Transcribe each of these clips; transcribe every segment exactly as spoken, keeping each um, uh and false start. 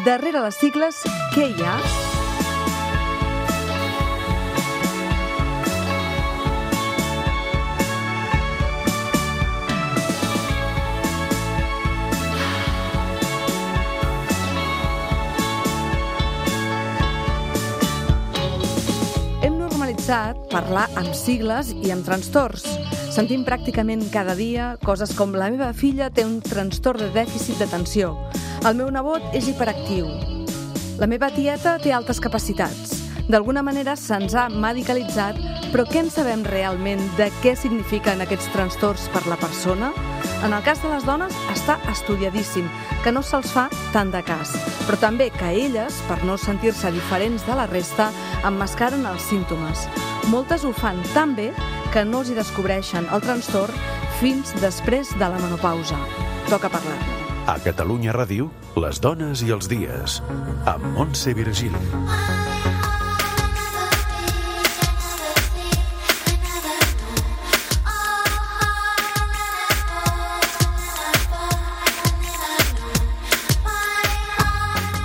darrere les sigles, què hi ha? Hem normalitzat parlar amb sigles i amb trastorns. Sentim pràcticament cada dia coses com la meva filla té un trastorn de dèficit d'atenció, el meu nebot és hiperactiu, la meva tieta té altes capacitats. D'alguna manera se'ns ha medicalitzat, però què en sabem realment de què signifiquen aquests trastorns per la persona? En el cas de les dones està estudiadíssim, que no se'ls fa tant de cas, però també que elles, per no sentir-se diferents de la resta, emmascaren els símptomes. Moltes ho fan tan bé que no els hi descobreixen el trastorn fins després de la menopausa. Toca parlar-ne. A Catalunya Ràdio, les dones i els dies, amb Montse Virgili.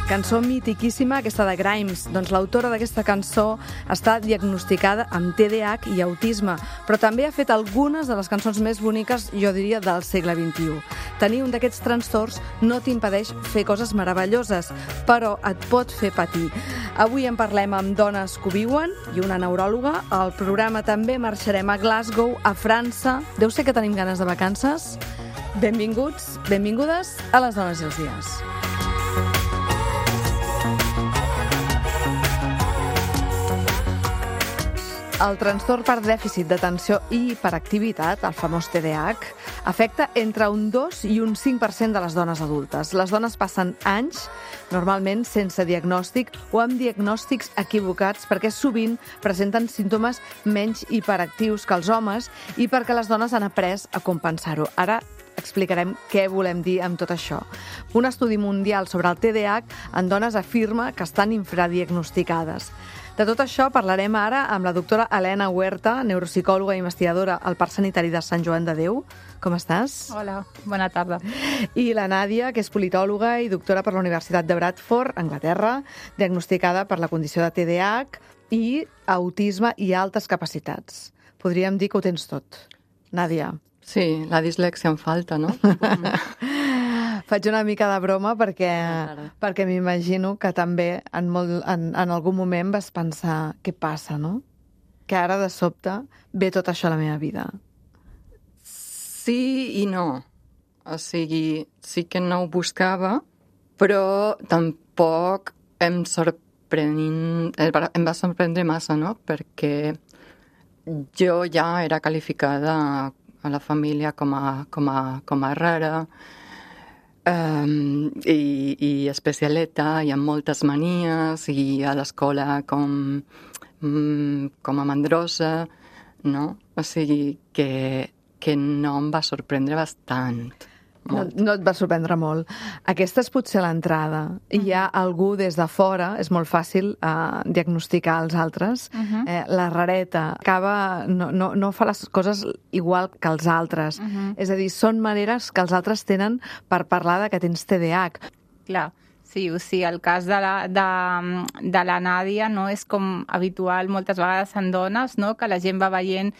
Cançó mitiquíssima, aquesta de Grimes. Doncs l'autora d'aquesta cançó està diagnosticada amb T D A H i autisme, però també ha fet algunes de les cançons més boniques, jo diria, del segle vint-i-u. Tenir un d'aquests trastorns no t'impedeix fer coses meravelloses, però et pot fer patir. Avui en parlem amb dones que ho viuen i una neuròloga. Al programa també marxarem a Glasgow, a França. Deu ser que tenim ganes de vacances? Benvinguts, benvingudes a Les dones i els dies. El trastorn per dèficit d'atenció i hiperactivitat, el famós T D A H, afecta entre un dos i un cinc per cent de les dones adultes. Les dones passen anys, normalment sense diagnòstic o amb diagnòstics equivocats, perquè sovint presenten símptomes menys hiperactius que els homes i perquè les dones han après a compensar-ho. Ara explicarem què volem dir amb tot això. Un estudi mundial sobre el T D A H en dones afirma que estan infradiagnosticades. De tot això parlarem ara amb la doctora Helena Huerta, neuropsicòloga i investigadora al Parc Sanitari de Sant Joan de Déu. Com estàs? Hola, bona tarda. I la Nàdia, que és politòloga i doctora per la Universitat de Bradford, Anglaterra, diagnosticada per la condició de T D A H i autisme i altes capacitats. Podríem dir que ho tens tot. Nàdia. Sí, la dislèxia em falta, no? Faig una mica de broma perquè, perquè m'imagino que també en, molt, en, en algun moment vas pensar què passa, no? Que ara de sobte ve tot això a la meva vida. Sí i no. O sigui, sí que no ho buscava, però tampoc em sorprenent, em va sorprendre massa, no? Perquè jo ja era qualificada a la família com a, com a, com a rara, Um, i, i especialeta, i amb moltes manies, i a l'escola com, um, com a mandrosa, no? O sigui que, que no em va sorprendre bastant. No, no et va sorprendre molt. Aquesta és potser l'entrada. Uh-huh. Hi ha algú des de fora, és molt fàcil uh, diagnosticar els altres. Uh-huh. eh, la rareta acaba, no, no, no fa les coses igual que els altres. Uh-huh. És a dir, són maneres que els altres tenen per parlar de que tens T D A H. Clar. Sí, o sigui, el cas de la, de, de la Nàdia no és com habitual moltes vegades en dones, no? Que la gent va veient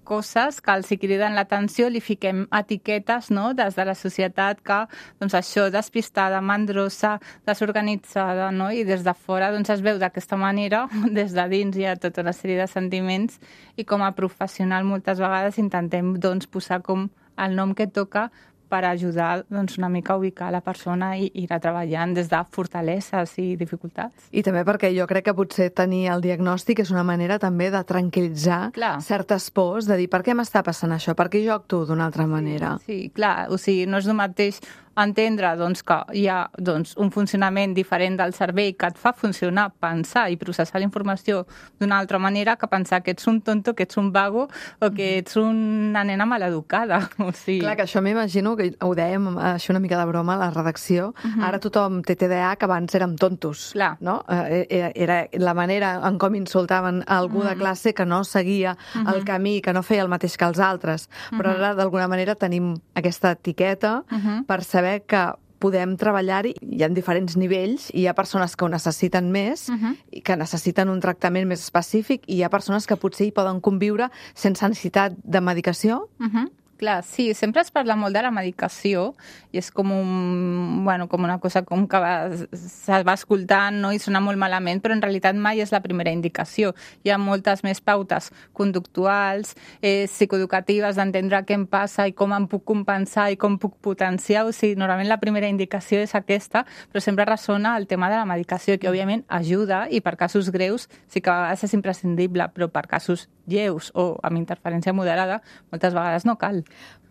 coses que els hi criden l'atenció, li fiquem etiquetes, no?, des de la societat que, doncs això, despistada, mandrosa, desorganitzada, no?, i des de fora, doncs es veu d'aquesta manera, des de dins hi ha tota una sèrie de sentiments i com a professional moltes vegades intentem, doncs, posar com el nom que toca per ajudar, doncs, una mica a ubicar la persona i ir treballant des de fortaleses i dificultats. I també perquè jo crec que potser tenir el diagnòstic és una manera també de tranquil·litzar clar. certes pors, de dir per què m'està passant això, per què jo actuo d'una altra manera. Sí, sí, clar, o sigui, no és el mateix entendre doncs, que hi ha doncs, un funcionament diferent del cervell que et fa funcionar, pensar i processar la informació d'una altra manera que pensar que ets un tonto, que ets un vago o que ets una nena maleducada. O sigui... Clar, que això m'imagino, que ho dèiem això una mica de broma a la redacció, uh-huh. ara tothom té T D A H, que abans érem tontos. Clar. No? Era, era la manera en com insultaven algú uh-huh. de classe que no seguia uh-huh. el camí, que no feia el mateix que els altres. Uh-huh. Però ara, d'alguna manera, tenim aquesta etiqueta uh-huh. per saber que podem treballar-hi. Hi ha diferents nivells, i hi ha persones que ho necessiten més, Uh-huh. i que necessiten un tractament més específic, i hi ha persones que potser hi poden conviure sense necessitat de medicació. Uh-huh. Clar, sí, sempre es parla molt de la medicació i és com, un, bueno, com una cosa com que va, se va escoltant, no? I sona molt malament, però en realitat mai és la primera indicació. Hi ha moltes més pautes conductuals, eh, psicoeducatives, d'entendre què em passa i com em puc compensar i com puc potenciar. O sigui, normalment la primera indicació és aquesta, però sempre ressona el tema de la medicació, que òbviament ajuda i per casos greus sí que a vegades és imprescindible, però per casos lleus o amb interferència moderada moltes vegades no cal.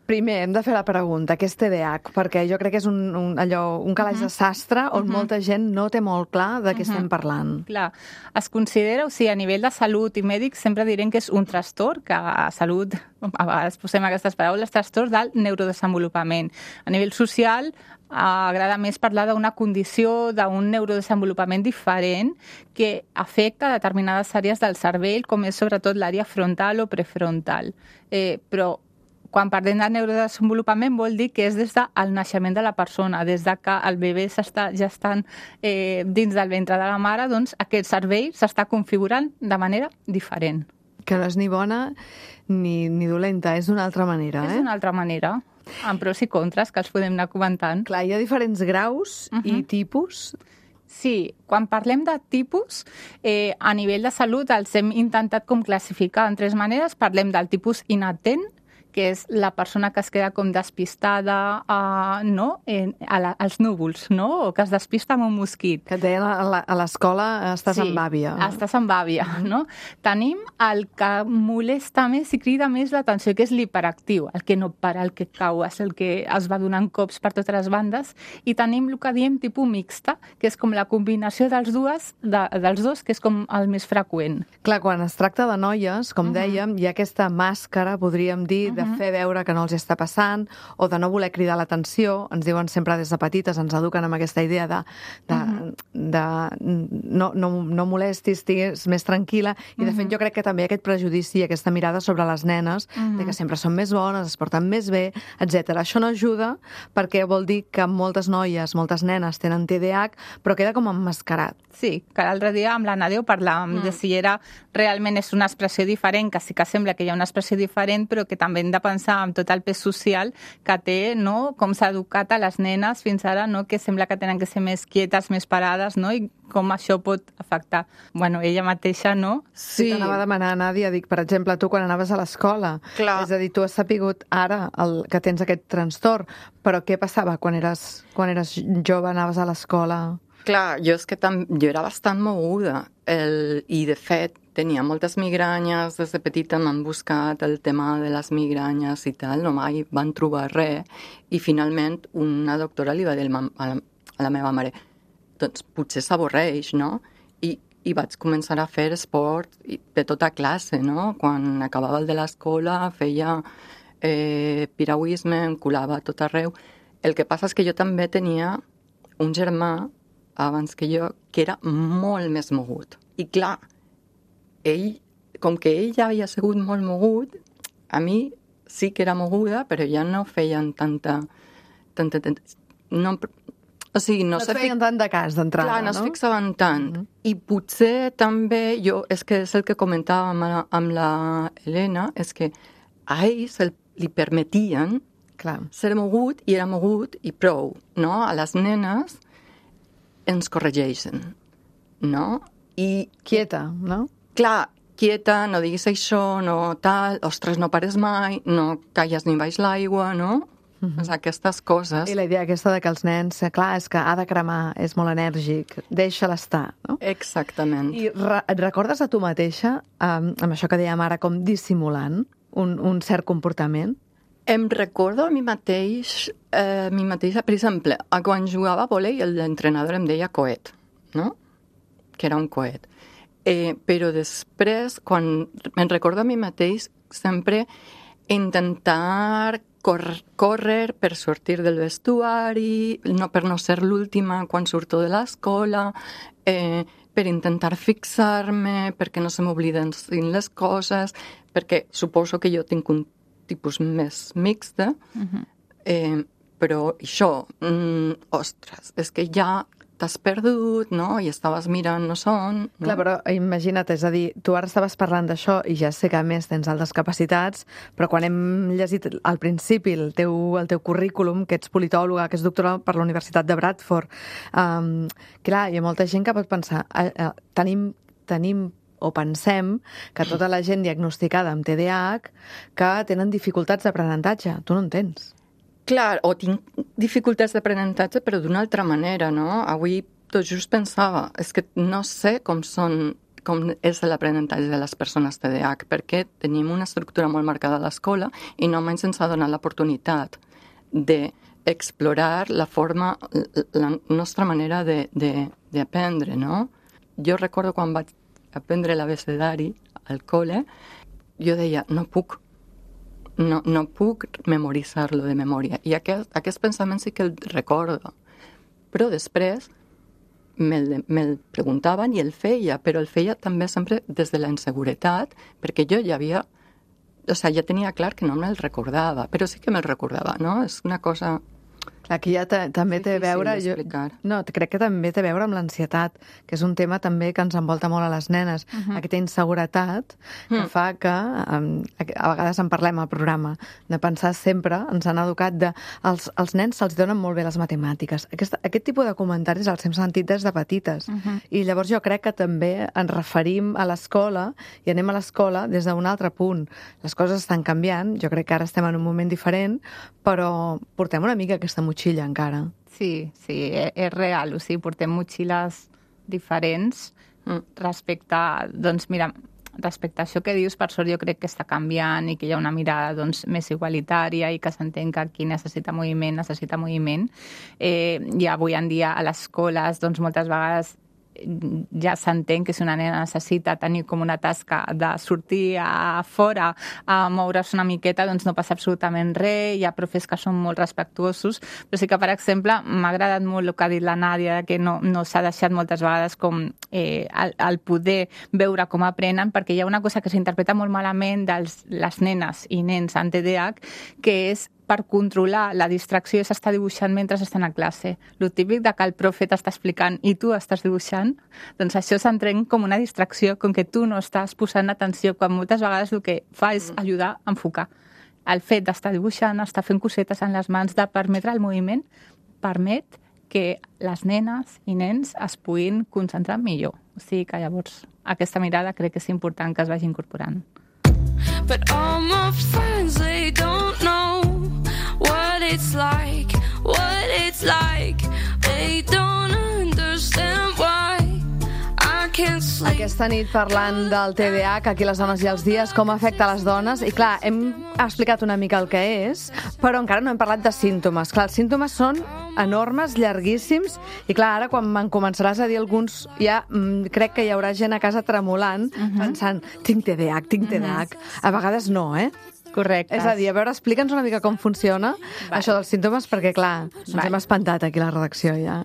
Primer, hem de fer la pregunta, què és T D A H? Perquè jo crec que és un, un, allò, un calaix uh-huh. de sastre on uh-huh. molta gent no té molt clar de què uh-huh. estem parlant. Clar, es considera, o sigui, a nivell de salut i mèdic sempre direm que és un trastorn, que a salut, a vegades posem aquestes paraules, trastorn del neurodesenvolupament. A nivell social, agrada més parlar d'una condició, d'un neurodesenvolupament diferent que afecta determinades àrees del cervell, com és sobretot l'àrea frontal o prefrontal. Eh, però quan parlem de neurodesenvolupament vol dir que és des del naixement de la persona, des de que el bebè s'està gestant eh, dins del ventre de la mare, doncs aquest cervell s'està configurant de manera diferent. Que no és ni bona ni, ni dolenta, és d'una altra manera. És eh? d'una altra manera, amb pros i contres que els podem anar comentant. Clar, hi ha diferents graus uh-huh. i tipus. Sí, quan parlem de tipus, eh, a nivell de salut els hem intentat com classificar en tres maneres. Parlem del tipus inatent, que és la persona que es queda com despistada uh, no? en, a la, als núvols, no? O que es despista amb un mosquit. Que et deien a l'escola estàs sí, amb àvia. estàs amb àvia, mm-hmm. no? Tenim el que molesta més i crida més l'atenció, que és l'hiperactiu, el que no para, el que cau, és el que es va donant cops per totes les bandes, i tenim el que diem tipus mixta, que és com la combinació dels, dues, de, dels dos, que és com el més freqüent. Clar, quan es tracta de noies, com uh-huh. dèiem, hi ha aquesta màscara, podríem dir, uh-huh. de fer veure que no els està passant o de no voler cridar l'atenció. Ens diuen sempre des de petites, ens eduquen amb aquesta idea de, de, uh-huh. de no, no, no molestis, estigues més tranquil·la. I, de fet, jo crec que també aquest prejudici i aquesta mirada sobre les nenes, uh-huh. de que sempre són més bones, es porten més bé, etcètera. Això no ajuda perquè vol dir que moltes noies, moltes nenes tenen T D A H, però queda com emmascarat. Sí, que l'altre dia amb la Nàdia parlàvem mm. de si era realment és una expressió diferent, que sí que sembla que hi ha una expressió diferent, però que també hem de pensar en tot el pes social que té, no? Com s'ha educat a les nenes fins ara, no? Que sembla que tenen que ser més quietes, més parades, no? I com això pot afectar. Bueno, ella mateixa, no? Sí. T'anava a demanar, Nàdia, dic, per exemple, tu quan anaves a l'escola, Clar. És a dir, tu has sapigut ara el, que tens aquest trastorn, però què passava quan eres, quan eres jove, anaves a l'escola? Clar, jo és que tam... jo era bastant moguda el... i de fet tenia moltes migranyes, des de petita m'han buscat el tema de les migranyes i tal, no mai van trobar res i finalment una doctora li va dir a la, a la meva mare doncs potser s'avorreix, no? I, i vaig començar a fer esport de tota classe, no? Quan acabava el de l'escola feia eh, piragüisme, em colava a tot arreu. El que passa és que jo també tenia un germà abans que jo, que era molt més mogut. I clar, ell, com que ell ja havia sigut molt mogut, a mi sí que era moguda, però ja no feien tanta... tanta, tanta no, o sigui, no, no es feien tant de cas d'entrada, clar, no? no? es fixaven tant. Mm-hmm. I potser també, jo, és que és el que comentàvem amb la, amb la Helena, és que a ell se li permetien clar. Ser mogut, i era mogut, i prou, no? A les nenes ens corregeixen, no? I quieta, no? Clar, quieta, no diguis això, no tal, ostres, no pares mai, no calles ni baix l'aigua, no? Mm-hmm. Aquestes coses. I la idea aquesta de que els nens, clar, és que ha de cremar, és molt enèrgic, deixa-la estar, no? Exactament. I re et recordes a tu mateixa, um, amb això que dèiem ara, com dissimulant un, un cert comportament? Em recordo a mi mateix, eh, mi mateixa, per exemple, quan jugava a vòlei, l'entrenador em deia coet, no? Que era un coet. Eh, però després, quan me'n recordo a mi mateix, sempre intentar cor córrer per sortir del vestuari, no, per no ser l'última quan surto de l'escola, eh, per intentar fixar-me, perquè no se m'obliden les coses, perquè suposo que jo tinc un tipus més mixta, uh-huh. eh, però això, mm, ostres, és que ja t'has perdut, no? I estaves mirant no són... No? Clar, però imagina't, és a dir, tu ara estaves parlant d'això i ja sé que a més tens altres capacitats, però quan hem llegit al principi el teu, el teu currículum, que ets politòloga, que ets doctora per la Universitat de Bradford, um, clar, hi ha molta gent que pot pensar, eh, eh, tenim, tenim o pensem que tota la gent diagnosticada amb T D A H que tenen dificultats d'aprenentatge. Tu no en tens. Clar, o tinc dificultats d'aprenentatge, però d'una altra manera, no? Avui tot just pensava, és que no sé com són, com és l'aprenentatge de les persones T D A H, perquè tenim una estructura molt marcada a l'escola i no mai se'ns ha donat l'oportunitat d'explorar la forma, la nostra manera d'aprendre, no? Jo recordo quan vaig aprendre l'abecedari al col·le, jo deia, no puc, no, no puc memoritzar-lo de memòria. I aquest, aquest pensament sí que el recordo. Però després me'l, me'l preguntaven i el feia, però el feia també sempre des de la inseguretat, perquè jo ja havia... O sigui, ja tenia clar que no me'l recordava, però sí que me'l recordava, no? És una cosa... Aquí ja te, també té a veure... Jo, no, crec que també té a veure amb l'ansietat, que és un tema també que ens envolta molt a les nenes. Uh-huh. Aquesta inseguretat que uh-huh. fa que, um, a vegades en parlem al programa, de pensar sempre, ens han educat de... Els, els nens se'ls donen molt bé les matemàtiques. Aquest, aquest tipus de comentaris els hem sentit des de petites. Uh-huh. I llavors jo crec que també ens referim a l'escola i anem a l'escola des d'un altre punt. Les coses estan canviant, jo crec que ara estem en un moment diferent, però portem una mica aquesta motxilla encara. Sí, sí, és real. O sigui, portem motxilles diferents respecte a, doncs mira, respecte a això que dius, per sort jo crec que està canviant i que hi ha una mirada doncs, més igualitària i que s'entén que qui necessita moviment, necessita moviment. Eh, I avui en dia a les escoles, doncs moltes vegades ja s'entén que si una nena necessita tenir com una tasca de sortir a fora a moure's una miqueta, doncs no passa absolutament res, hi ha profes que són molt respectuosos, però sí que, per exemple, m'ha agradat molt el que ha dit la Nàdia, que no, no s'ha deixat moltes vegades com eh, el, el poder veure com aprenen, perquè hi ha una cosa que s'interpreta molt malament de les nenes i nens amb T D A H, que és per controlar la distracció és estar dibuixant mentre estan a classe. Lo típic de que el profe t'està explicant i tu estàs dibuixant, doncs això s'entén com una distracció, com que tu no estàs posant atenció, quan moltes vegades el que fa és ajudar a enfocar. El fet d'estar dibuixant, estar fent cosetes en les mans, de permetre el moviment, permet que les nenes i nens es puguin concentrar millor. O sigui que llavors aquesta mirada crec que és important que es vagi incorporant. But all my friends, they don't know what it's like, what it's like. They don't understand why I can't sleep. Aquesta nit parlant del T D A H, aquí les dones i els dies, com afecta a les dones. I clar, hem explicat una mica el que és, però encara no hem parlat de símptomes. Clar, els símptomes són enormes, llarguíssims, i clar, ara quan me'n començaràs a dir alguns, ja mm, crec que hi haurà gent a casa tremolant, uh-huh. pensant, tinc T D A H, tinc T D A H. Uh-huh. A vegades no, eh? Correcte. És a dir, a veure, explica'ns una mica com funciona vale. Això dels símptomes, perquè, clar, ens vale. hem espantat aquí a la redacció, ja.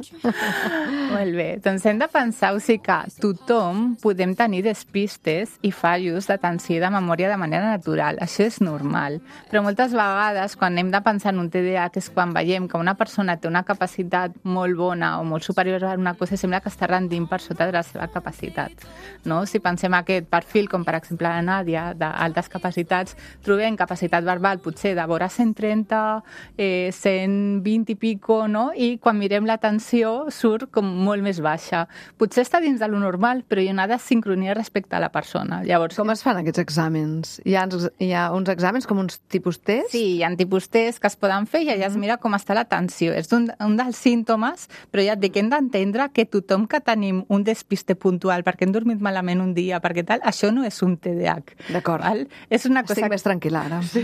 Molt bé. Doncs hem de pensar, o sigui, que tothom podem tenir despistes i fallos d'atenció i de memòria de manera natural. Això és normal. Però moltes vegades, quan hem de pensar en un T D A H, és quan veiem que una persona té una capacitat molt bona o molt superior a una cosa, sembla que està rendint per sota de la seva capacitat. No? Si pensem aquest perfil, com per exemple la Nàdia, d'altes capacitats, trobem capacitat verbal potser de vora cent trenta, eh, cent vint i pico, no? I quan mirem l'atenció surt com molt més baixa. Potser està dins de lo normal, però hi ha una desincronia respecte a la persona. Llavors, com es fan aquests exàmens? Hi ha, hi ha uns exàmens com uns tipus test? Sí, hi ha tipus test que es poden fer i allà es mira com està l'atenció. És un, un dels símptomes, però ja et dic que hem d'entendre que tothom que tenim un despiste puntual perquè hem dormit malament un dia, perquè tal, això no és un T D A H. D'acord. Val? És una cosa... Estic més tranquil·la. Sí.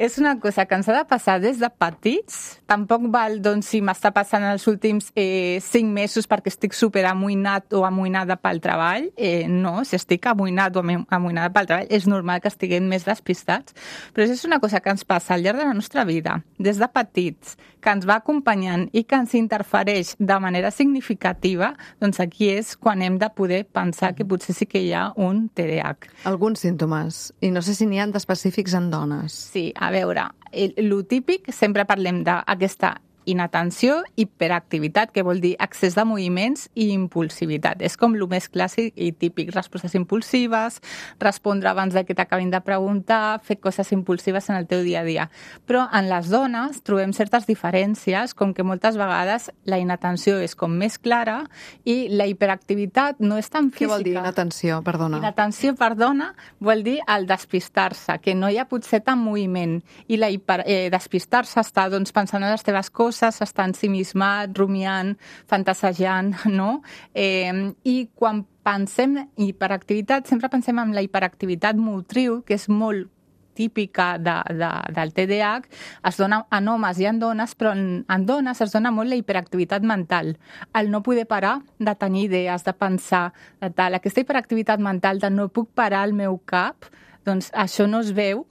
És una cosa que ens ha de passar des de petits. Tampoc val, doncs, si m'està passant els últims eh, cinc mesos perquè estic super amoïnat o amoïnada pel treball. Eh, no, si estic amoïnat o amoïnada pel treball, és normal que estiguem més despistats. Però és una cosa que ens passa al llarg de la nostra vida, des de petits, que ens va acompanyant i que ens interfereix de manera significativa, doncs aquí és quan hem de poder pensar que potser sí que hi ha un T D A H. Alguns símptomes. I no sé si n'hi ha d'específics en dones. Sí, a A veure, el, el típic, sempre parlem d'aquesta inatenció, hiperactivitat, que vol dir excés de moviments i impulsivitat. És com el més clàssic i típic, respostes impulsives, respondre abans de que t'acabin de preguntar, fer coses impulsives en el teu dia a dia. Però en les dones trobem certes diferències, com que moltes vegades la inatenció és com més clara i la hiperactivitat no és tan física. Què vol dir inatenció, perdona? Inatenció, perdona, vol dir el despistar-se, que no hi ha potser tant moviment. I la hiper, eh, despistar-se està doncs, pensant en les teves coses, està ensimismat, rumiant, fantasejant, no? Eh, I quan pensem en hiperactivitat, sempre pensem en la hiperactivitat motriu, que és molt típica de, de, del T D A H, es dona en homes i en dones, però en, en dones es dona molt la hiperactivitat mental. El no poder parar de tenir idees, de pensar, de tal. Aquesta hiperactivitat mental de no puc parar el meu cap, doncs això no es veu,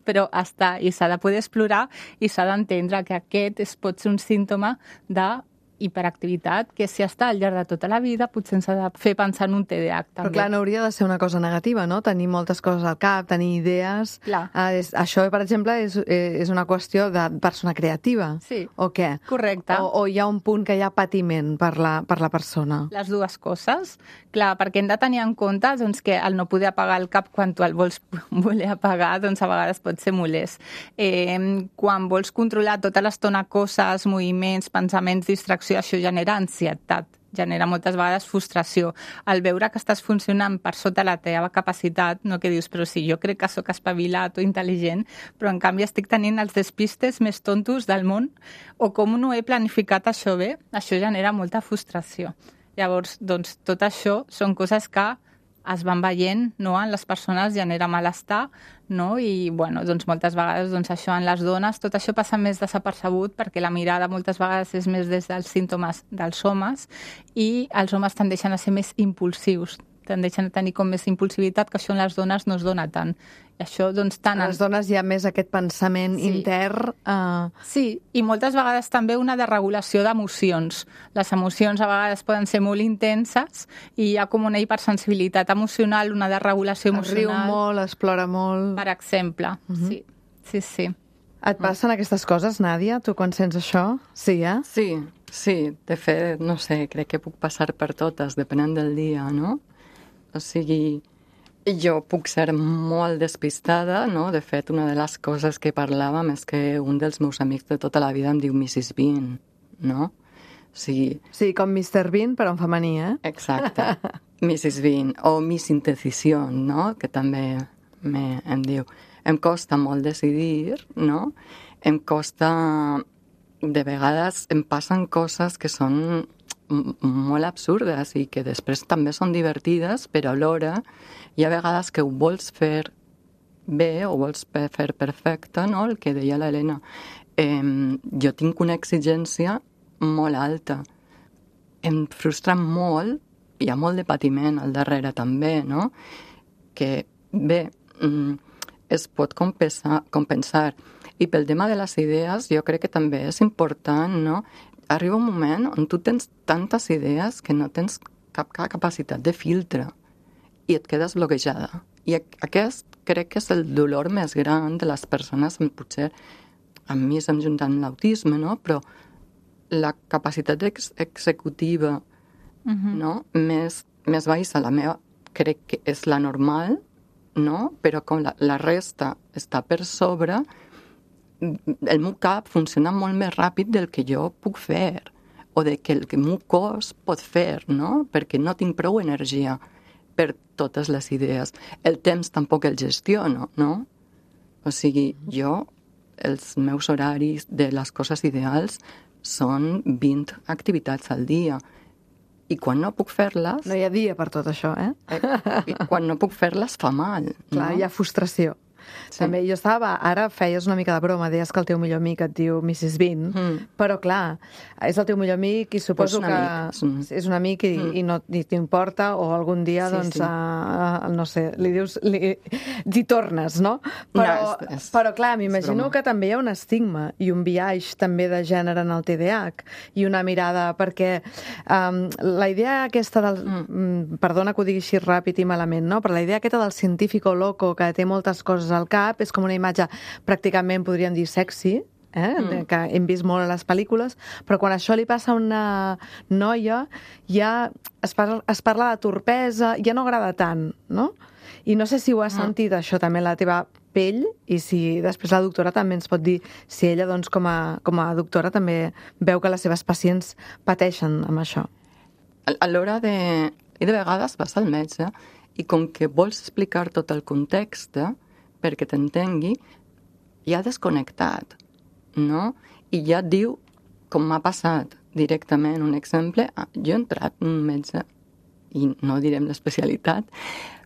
però està, i s'ha de poder explorar i s'ha d'entendre que aquest es pot ser un símptoma de hiperactivitat, que si està al llarg de tota la vida potser ens ha de fer pensar en un T D A H també. Però clar, no hauria de ser una cosa negativa, no? Tenir moltes coses al cap, tenir idees... Clar. Eh, és, això, per exemple, és, és una qüestió de persona creativa. Sí. O què? Correcte. O, o hi ha un punt que hi ha patiment per la, per la persona? Les dues coses. Clar, perquè hem de tenir en compte doncs, que el no poder apagar el cap quan tu el vols voler apagar, doncs a vegades pot ser molest. Eh, quan vols controlar tota l'estona coses, moviments, pensaments, distraccions, això genera ansietat, genera moltes vegades frustració. Al veure que estàs funcionant per sota la teva capacitat, no que dius, però sí, jo crec que sóc espavilat o intel·ligent, però en canvi estic tenint els despistes més tontos del món, o com no he planificat això bé, això genera molta frustració. Llavors, doncs, tot això són coses que es van veient, no? En les persones genera malestar, no? I bueno, doncs moltes vegades doncs això en les dones, tot això passa més desapercebut perquè la mirada moltes vegades és més des dels símptomes dels homes i els homes tendeixen a ser més impulsius, tendeixen a tenir com més impulsivitat, que això en les dones no es dona tant. I això, doncs, tant... A les dones hi ha més aquest pensament sí. intern... Uh... Sí, i moltes vegades també una desregulació d'emocions. Les emocions a vegades poden ser molt intenses i hi ha com una hipersensibilitat emocional, una desregulació emocional. Es riu molt, es plora molt... Per exemple, uh -huh. sí, sí, sí. Et passen aquestes coses, Nàdia? Tu quan sents això? Sí, eh? Sí, sí. De fet, no sé, crec que puc passar per totes, depenent del dia, no? O sigui, jo puc ser molt despistada, no? De fet, una de les coses que parlàvem és que un dels meus amics de tota la vida em diu missus Bean, no? O sigui... Sí, com mister Bean, però en femení, eh? Exacte. missus Bean. O Miss Indecision, no? Que també me, em diu. Em costa molt decidir, no? Em costa... De vegades em passen coses que són molt absurdes i que després també són divertides, però alhora hi ha vegades que ho vols fer bé o vols fer perfecte, no? El que deia l'Helena. Eh, jo tinc una exigència molt alta. Em frustra molt, hi ha molt de patiment al darrere també, no? Que bé, es pot compensar, compensar. I pel tema de les idees, jo crec que també és important, no? Arriba un moment on tu tens tantes idees que no tens cap, cap capacitat de filtre i et quedes bloquejada. I aquest crec que és el dolor més gran de les persones, potser a mi se'm junta amb l'autisme, no? Però la capacitat ex executiva uh-huh. no? més, més baixa, la meva crec que és la normal, no? Però com la, la resta està per sobre, el meu cap funciona molt més ràpid del que jo puc fer o de que el que el meu cos pot fer, no? Perquè no tinc prou energia per totes les idees. El temps tampoc el gestiono, no? O sigui, jo, els meus horaris de les coses ideals són vint activitats al dia. I quan no puc fer-les... No hi ha dia per tot això, eh? eh quan no puc fer-les fa mal. Clar, no? Hi ha frustració. Sí. També jo estava, ara feies una mica de broma, deies que el teu millor amic et diu missus Bean, mm. però clar, és el teu millor amic i suposo pues que amic, és, un... és un amic i, mm. i no t'importa, o algun dia, sí, doncs, sí. A, a, no sé, li dius, li, t'hi tornes, no? Però, no, és, és, però clar, m'imagino que també hi ha un estigma i un biaix també de gènere en el T D A H i una mirada, perquè um, la idea aquesta del... Mm. Perdona que ho digui així ràpid i malament, no? Però la idea aquesta del científico loco que té moltes coses coses al cap, és com una imatge pràcticament, podríem dir, sexy, eh? mm. que hem vist molt a les pel·lícules, però quan això li passa a una noia, ja es parla, es parla de torpesa, ja no agrada tant, no? I no sé si ho has sentit, això, també, la teva pell, i si després la doctora també ens pot dir si ella, doncs, com a, com a doctora, també veu que les seves pacients pateixen amb això. A l'hora de... I de vegades vas al metge i com que vols explicar tot el context perquè t'entengui, ja ha desconnectat, no? I ja et diu com m'ha passat directament. Un exemple, jo he entrat en un metge, i no direm l'especialitat,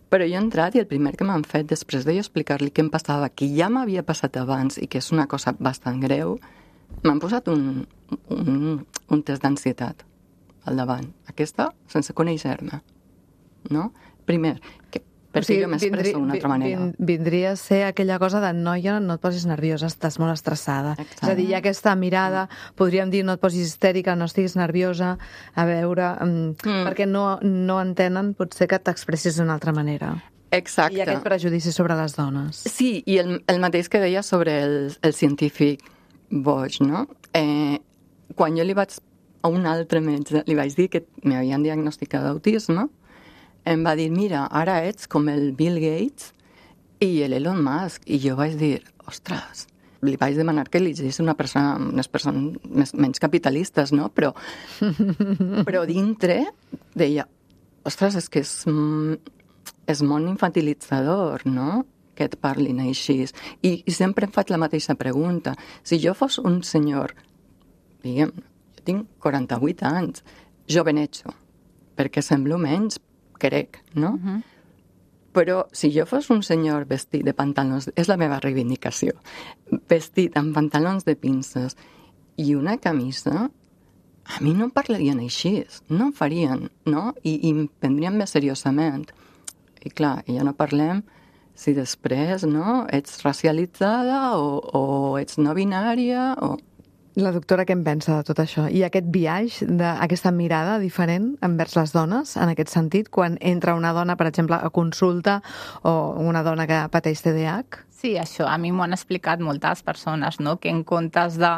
però jo he entrat i el primer que m'han fet després de jo explicar-li què em passava, que ja m'havia passat abans i que és una cosa bastant greu, m'han posat un, un, un test d'ansietat al davant. Aquesta, sense conèixer-me, no? Primer, que, perquè o sigui, jo m'expresso d'una altra manera. Vindria a ser aquella cosa de noia, no et posis nerviosa, estàs molt estressada. Exacte. És a dir, hi ha aquesta mirada, podríem dir, no et posis histèrica, no estiguis nerviosa, a veure, mm. perquè no, no entenen, potser que t'expressis d'una altra manera. Exacte. I aquest prejudici sobre les dones. Sí, i el, el mateix que deia sobre el, el científic boig, no? Eh, quan jo li vaig a un altre metge, li vaig dir que m'havien diagnosticat d'autisme, em va dir, mira, ara ets com el Bill Gates i l'Elon Musk. I jo vaig dir, ostres, li vaig demanar que elegís una persona, unes persones més, menys capitalistes, no? Però, però dintre deia, ostres, és que és, és molt infantilitzador, no?, que et parlin així. I, I sempre em faig la mateixa pregunta. Si jo fos un senyor, diguem, jo tinc quaranta-vuit anys, jovenetxo, perquè semblo menys, crec, no? Uh-huh. Però si jo fos un senyor vestit de pantalons, és la meva reivindicació, vestit amb pantalons de pinces i una camisa, a mi no em parlarien així, no em farien, no? I, i em prendrien més seriosament. I clar, ja no parlem si després, no, ets racialitzada o, o ets no binària o... La doctora què en pensa de tot això? I aquest viatge, aquesta mirada diferent envers les dones, en aquest sentit, quan entra una dona, per exemple, a consulta o una dona que pateix T D A H? Sí, això a mi m'ho han explicat moltes persones, no? Que en comptes de,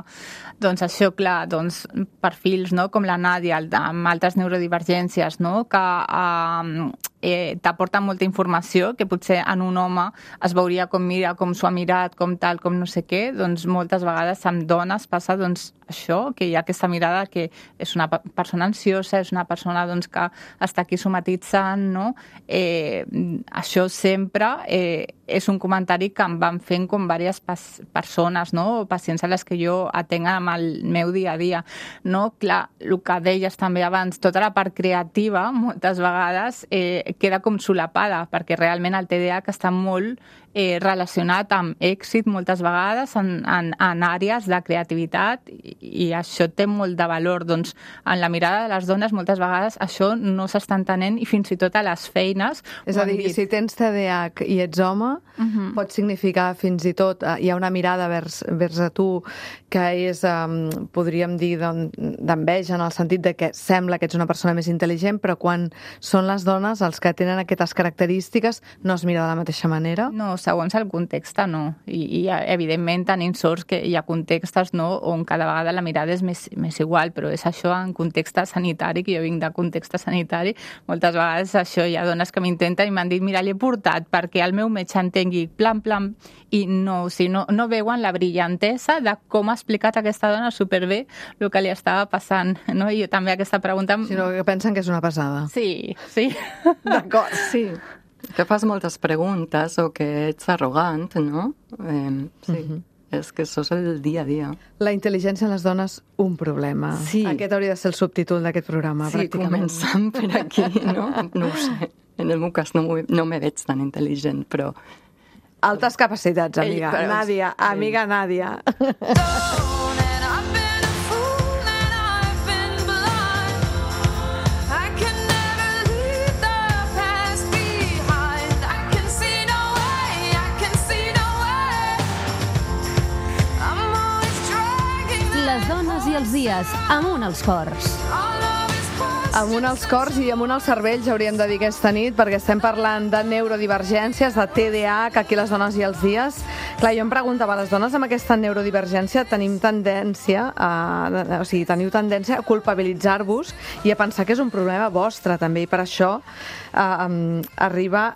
doncs això, clar, doncs perfils, no? Com la Nàdia, amb altres neurodivergències, no? Que eh, eh, t'aporten molta informació, que potser en un home es veuria com mira, com s'ho ha mirat, com tal, com no sé què, doncs moltes vegades amb dones passa doncs això, que hi ha aquesta mirada que és una persona ansiosa, és una persona doncs, que està aquí somatitzant, no? Eh, això sempre eh, és un comentari que em van fent com diverses persones, no? O pacients a les que jo atenc amb el meu dia a dia, no? Clar, el que deies també abans, tota la part creativa moltes vegades eh, queda com solapada, perquè realment el T D A H està molt eh, relacionat amb èxit moltes vegades en, en, en àrees de creativitat i, i això té molt de valor. Doncs en la mirada de les dones moltes vegades això no s'està entenent i fins i tot a les feines. És a dir, si tens T D A H i ets home, uh-huh. pot significar fins i tot, eh, hi ha una mirada vers, vers a tu que és, eh, podríem dir, d'enveja, en el sentit de que sembla que ets una persona més intel·ligent, però quan són les dones els que tenen aquestes característiques no es mira de la mateixa manera? No, segons el context, no. I, i evidentment tenim sorts que hi ha contextes, no?, on cada vegada la mirada és més, més igual, però és això en context sanitari, que jo vinc de context sanitari, moltes vegades això hi ha dones que m'intenten i m'han dit, mira, l'he portat perquè el meu metge entengui plan, plan, i no, o sigui, no, no veuen la brillantesa de com ha explicat aquesta dona superbé el que li estava passant, no? I jo també aquesta pregunta... Sinó que pensen que és una passada. Sí, sí. D'acord, sí. Que fas moltes preguntes o que ets arrogant, no? Eh, sí. Uh-huh. És que això és el dia a dia. La intel·ligència en les dones, un problema. Sí. Aquest hauria de ser el subtítol d'aquest programa, sí, pràcticament. Sí, començant per aquí, no? No ho sé. En el meu cas no, no me veig tan intel·ligent, però... Altes capacitats, amiga. Ei, però... Nàdia, amiga Nàdia. Les dones i els dies, amunt els cors. Amunt als cors i amunt als cervells hauríem de dir aquesta nit, perquè estem parlant de neurodivergències, de T D A H, aquí les dones i els dies. Clar, jo em preguntava, les dones amb aquesta neurodivergència tenim tendència a, o sigui, teniu tendència a culpabilitzar-vos i a pensar que és un problema vostre també, i per això eh, arriba,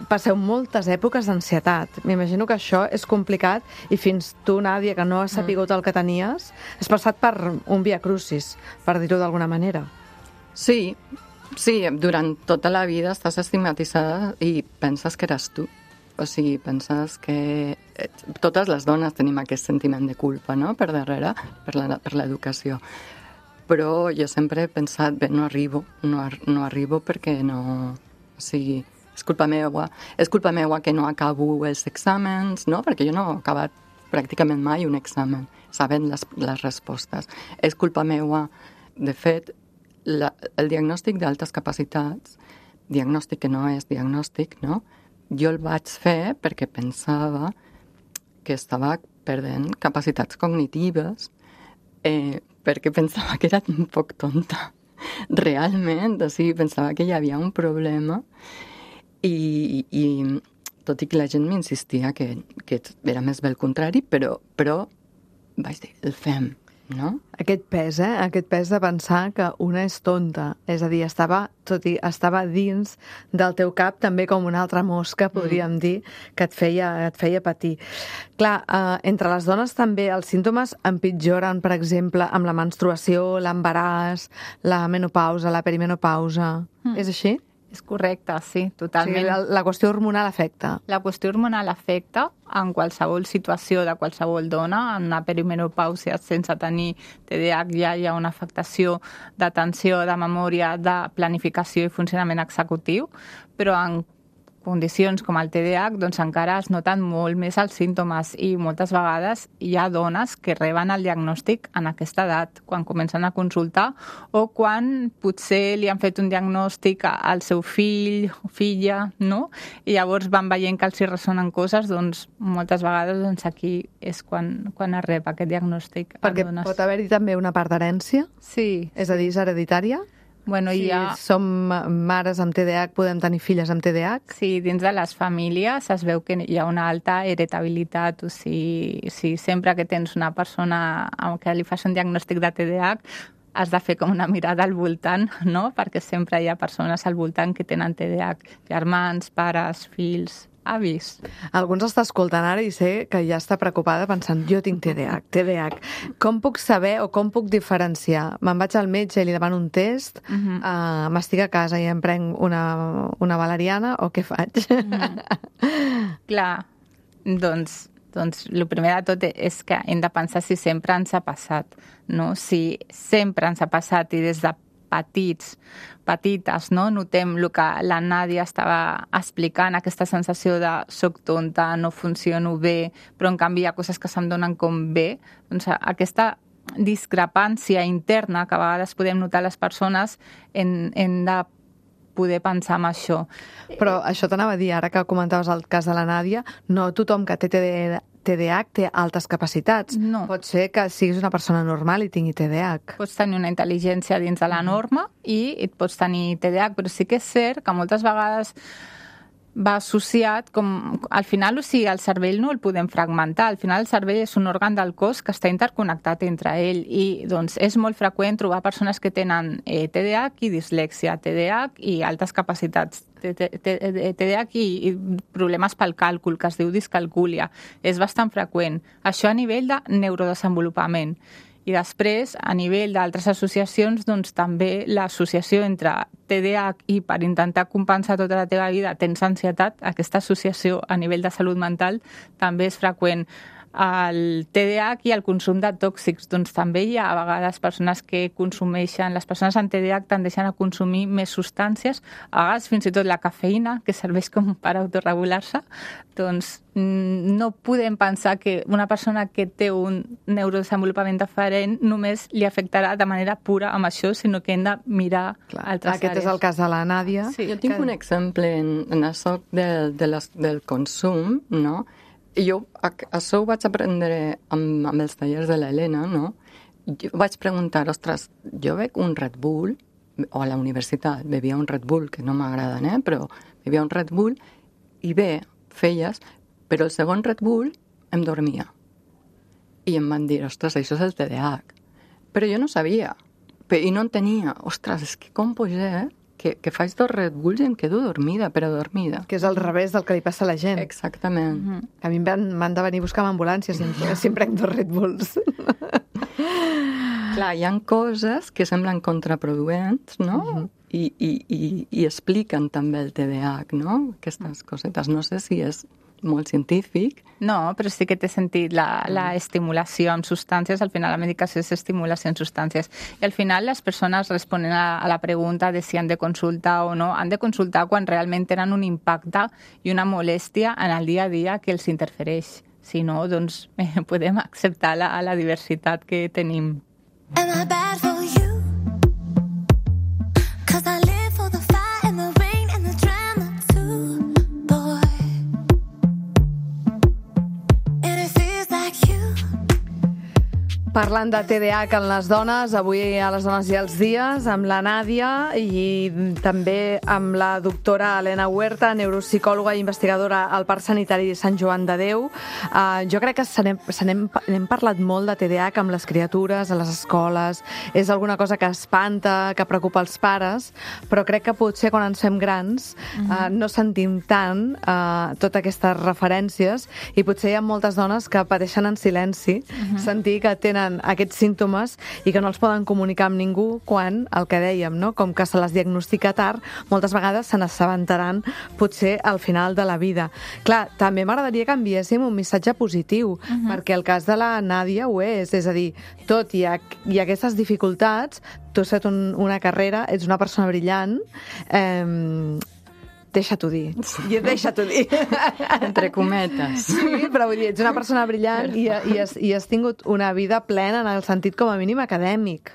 passeu moltes èpoques d'ansietat. M'imagino que això és complicat i fins tu, Nàdia, que no has sapigut el que tenies, has passat per un via crucis, per dir-ho d'alguna manera. Sí, sí, durant tota la vida estàs estigmatitzada i penses que eres tu. O sigui, penses que totes les dones tenim aquest sentiment de culpa, no?, per darrere, per la, per l'educació. Però jo sempre he pensat, bé, no arribo, no, no arribo perquè no... O sigui, és culpa meua, és culpa meua que no acabo els exàmens, no?, perquè jo no he acabat pràcticament mai un examen, sabent les, les respostes. És culpa meua, de fet, La, el diagnòstic d'altes capacitats, diagnòstic que no és diagnòstic, no? Jo el vaig fer perquè pensava que estava perdent capacitats cognitives, eh, perquè pensava que era un poc tonta. Realment, o sigui, pensava que hi havia un problema i, i tot i que la gent m'insistia que, que era més bé el contrari, però, però vaig dir, el fem. No? Aquest pes, eh? Aquest pes de pensar que una és tonta. És a dir, estava, tot i estava dins del teu cap també com una altra mosca, podríem mm. dir, que et feia, et feia patir. Clar, eh, entre les dones també els símptomes empitjoren, per exemple, amb la menstruació, l'embaràs, la menopausa, la perimenopausa. Mm. És així? És correcte, sí, totalment. O sigui, la, la qüestió hormonal afecta. La qüestió hormonal afecta en qualsevol situació de qualsevol dona. En una perimenopàusia sense tenir T D A H ja hi ha una afectació d'atenció, de memòria, de planificació i funcionament executiu, però en condicions com el T D A H doncs encara es noten molt més els símptomes i moltes vegades hi ha dones que reben el diagnòstic en aquesta edat, quan comencen a consultar o quan potser li han fet un diagnòstic al seu fill o filla, no? I llavors van veient que els hi ressonen coses, doncs moltes vegades doncs, aquí és quan, quan es rep aquest diagnòstic. Perquè pot haver-hi també una part d'herència? Sí. És a dir, és hereditària? Bueno, si ha... som mares amb T D A H, podem tenir filles amb T D A H? Sí, dins de les famílies es veu que hi ha una alta hereditabilitat. O sigui, si sempre que tens una persona que li fas un diagnòstic de T D A H, has de fer com una mirada al voltant, no? Perquè sempre hi ha persones al voltant que tenen T D A H. Germans, pares, fills, avis. Algú ens està escoltant ara i sé que ja està preocupada pensant, jo tinc T D A H, T D A H. Com puc saber o com puc diferenciar? Me'n vaig al metge i li demano un test, uh -huh. uh, m'estic a casa i em prenc una, una valeriana o què faig? Uh -huh. Clar, doncs... Doncs el primer de tot és que hem de pensar si sempre ens ha passat, no? Si sempre ens ha passat i des de petits, petites, no? Notem el que la Nàdia estava explicant, aquesta sensació de soc tonta, no funciono bé, però en canvi hi ha coses que se'm donen com bé. Doncs aquesta discrepància interna que a vegades podem notar les persones hem, hem de poder pensar en això. Però això t'anava a dir, ara que comentaves el cas de la Nàdia, no tothom que té T D A H té altes capacitats. No. Pot ser que siguis una persona normal i tingui T D A H. Pots tenir una intel·ligència dins de la norma i et pots tenir T D A H, però sí que és cert que moltes vegades va associat com... Al final, o sigui, el cervell no el podem fragmentar. Al final, el cervell és un òrgan del cos que està interconnectat entre ell i doncs, és molt freqüent trobar persones que tenen eh, T D A H i dislèxia, T D A H i altes capacitats, T D A H i, i problemes pel càlcul, que es diu discalcúlia. És bastant freqüent. Això a nivell de neurodesenvolupament. I després, a nivell d'altres associacions, doncs també l'associació entre T D A H i per intentar compensar tota la teva vida tens ansietat, aquesta associació a nivell de salut mental també és freqüent. El T D A H i el consum de tòxics, doncs també hi ha a vegades persones que consumeixen, les persones amb T D A H tendeixen a consumir més substàncies, a vegades fins i tot la cafeïna, que serveix com per autorregular-se, doncs no podem pensar que una persona que té un neurodesenvolupament diferent només li afectarà de manera pura amb això, sinó que hem de mirar Clar, altres aquest àrees. És el cas de la Nàdia. Sí, jo tinc que... un exemple en, en això de, de les, del consum, no? Jo això ho vaig aprendre amb, amb els tallers de l'Helena, no? Jo vaig preguntar, ostres, jo veig un Red Bull o a la universitat, bevia un Red Bull, que no m'agraden, eh? Però bevia un Red Bull i bé, feies, però el segon Red Bull em dormia. I em van dir, ostres, això és el T D A H. Però jo no sabia, i no entenia. Ostres, és que com pot ser que, que faig dos Red Bulls i em quedo dormida, però dormida. Que és al revés del que li passa a la gent. Exactament. Mm-hmm. A mi m'han de venir a buscar amb ambulància si, si em prenc dos Red Bulls. Clar, hi ha coses que semblen contraproduents, no? Mm-hmm. I, i, i, i expliquen també el T D A H, no? Aquestes cosetes. No sé si és molt científic. No, però sí que té sentit la, la estimulació amb substàncies. Al final la medicació és estimulació amb substàncies. I al final les persones responen a, a la pregunta de si han de consultar o no. Han de consultar quan realment tenen un impacte i una molèstia en el dia a dia que els interfereix. Si no, doncs eh, podem acceptar la, la diversitat que tenim. Am I bad for you? 'Cause I live for the fire and the rain and the drama too, boy. And it feels like you. Parlant de T D A H en les dones, avui a les dones i els dies, amb la Nàdia i també amb la doctora Helena Huerta, neuropsicòloga i investigadora al Parc Sanitari de Sant Joan de Déu. Uh, jo crec que se n'hem, se n'hem, n'hem parlat molt de T D A H amb les criatures, a les escoles. És alguna cosa que espanta, que preocupa els pares, però crec que potser quan ens fem grans uh, no sentim tant uh, totes aquestes referències i potser hi ha moltes dones que pateixen en silenci uh-huh. sentir que tenen aquests símptomes i que no els poden comunicar amb ningú quan, el que dèiem, no? Com que se les diagnostica tard, moltes vegades se n'assabentaran potser al final de la vida. Clar, també m'agradaria que enviéssim un missatge positiu, uh-huh. perquè el cas de la Nàdia ho és, és a dir, tot i, a, i aquestes dificultats, tu has fet un, una carrera, ets una persona brillant, eh, deixa-t'ho dir. Sí. Deixa-t'ho dir. Entre cometes. Sí, però vull dir, ets una persona brillant i, i, has, i has tingut una vida plena en el sentit com a mínim acadèmic.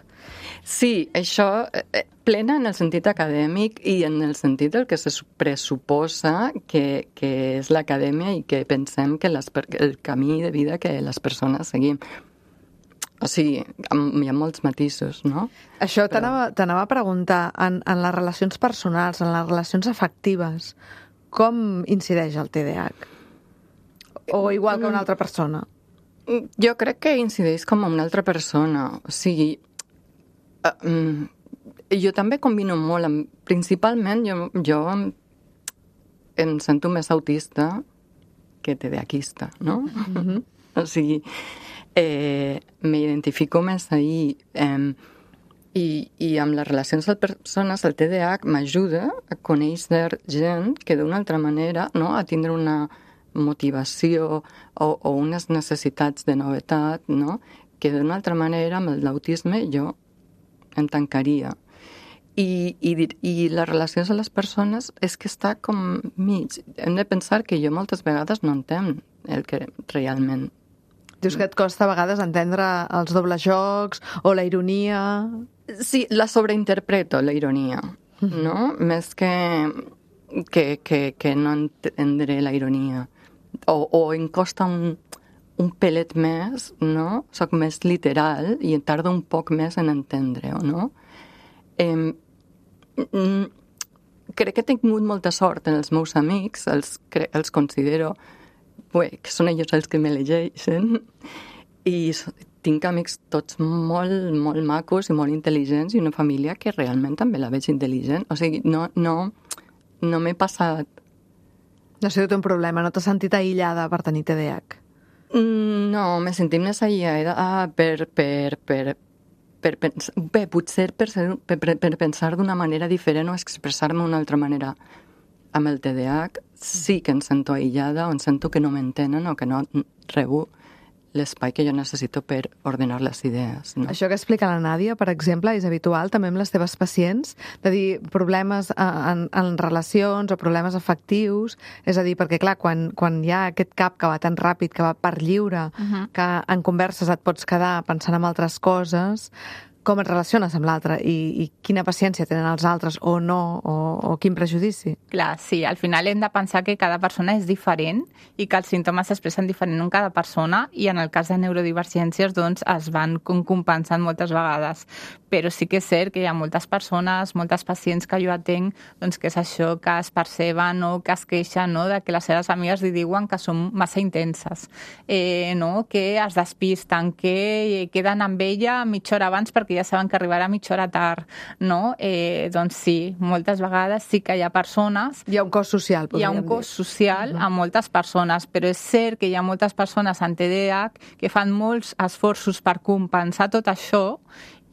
Sí, això, eh, plena en el sentit acadèmic i en el sentit del que se pressuposa que, que és l'acadèmia i que pensem que les, el camí de vida que les persones seguim. O sigui, hi ha molts matisos, no? Això t'anava, t'anava a preguntar, en, en les relacions personals, en les relacions afectives, com incideix el T D A H? O igual que una altra persona? Jo crec que incideix com una altra persona. O sigui, uh, jo també combino molt, amb, principalment jo, jo em, em sento més autista que TDAHista, no? Mm-hmm. O sigui, eh, m'identifico més ahí eh, i, i amb les relacions de persones el T D A H m'ajuda a conèixer gent que d'una altra manera, no?, a tindre una motivació o, o unes necessitats de novetat, no?, que d'una altra manera amb l'autisme jo em tancaria. I, i, i les relacions de les persones és que està com mig. Hem de pensar que jo moltes vegades no entenc el que realment... Dius que et costa a vegades entendre els dobles jocs o la ironia... Sí, la sobreinterpreto, la ironia, no? Més que, que, que, que no entendré la ironia. O, o em costa un, un pelet més, no? Soc més literal i tardo un poc més en entendre-ho, no? Eh, crec que he tingut molta sort en els meus amics, els, els considero... Bé, que són ells els que me llegeixen i tinc amics tots molt, molt macos i molt intel·ligents i una família que realment també la veig intel·ligent. O sigui, no, no, no m'he passat... No ha sigut un problema, no t'has sentit aïllada per tenir T D A H? No, m'he sentit més aïllada ah, per, per, per, per pensar... Bé, potser per, ser, per, per pensar d'una manera diferent o expressar-me d'una altra manera. Amb el T D A H sí que em sento aïllada o em sento que no m'entenen o que no rebo l'espai que jo necessito per ordenar les idees. No? Això que explica la Nàdia, per exemple, és habitual també amb les teves pacients, de dir problemes en, en relacions o problemes afectius, és a dir, perquè clar, quan, quan hi ha aquest cap que va tan ràpid, que va per lliure, uh-huh. que en converses et pots quedar pensant en altres coses, com et relaciones amb l'altre i, i quina paciència tenen els altres o no, o, o quin prejudici. Clar, sí, al final hem de pensar que cada persona és diferent i que els símptomes s'expressen diferent en cada persona i en el cas de neurodivergències doncs es van compensant moltes vegades. Però sí que és cert que hi ha moltes persones, moltes pacients que jo atenc, doncs que és això, que es perceben o que es queixen, no?, de que les seves amigues li diuen que són massa intenses, eh, no?, que es despisten, que queden amb ella mitja hora abans perquè ja saben que arribarà mitja hora tard, no? Eh, doncs sí, moltes vegades sí que hi ha persones... Hi ha un cos social, podríem dir. Hi ha un cos social a moltes persones, però és cert que hi ha moltes persones amb T D A H que fan molts esforços per compensar tot això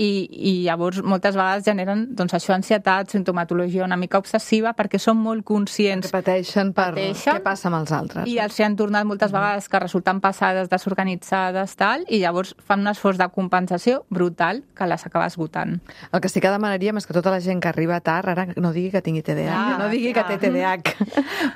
i, i llavors moltes vegades generen doncs, això, ansietat, sintomatologia una mica obsessiva perquè són molt conscients que pateixen per pateixen, què passa amb els altres. I els hi han tornat moltes vegades que resulten passades, desorganitzades, tal, i llavors fan un esforç de compensació brutal que les acaba esgotant. El que sí que demanaríem és que tota la gent que arriba tard ara no digui que tingui T D A H, Ah, no digui clar. que té T D A H.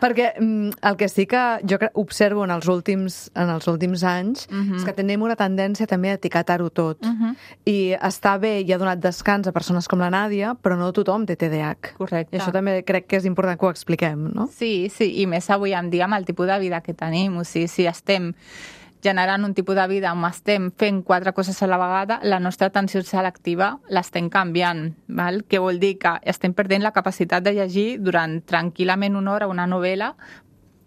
Perquè mm, el que sí que jo cre- observo en els últims, en els últims anys Uh -huh. és que tenim una tendència també a etiquetar-ho tot. Uh -huh. I està bé i ha donat descans a persones com la Nàdia, però no tothom té T D A H. Correcte. I això també crec que és important que ho expliquem, no? Sí, sí, i més avui en dia amb el tipus de vida que tenim. O sigui, si estem generant un tipus de vida on estem fent quatre coses a la vegada, la nostra atenció selectiva l'estem canviant, val? Que vol dir que estem perdent la capacitat de llegir durant tranquil·lament una hora una novel·la,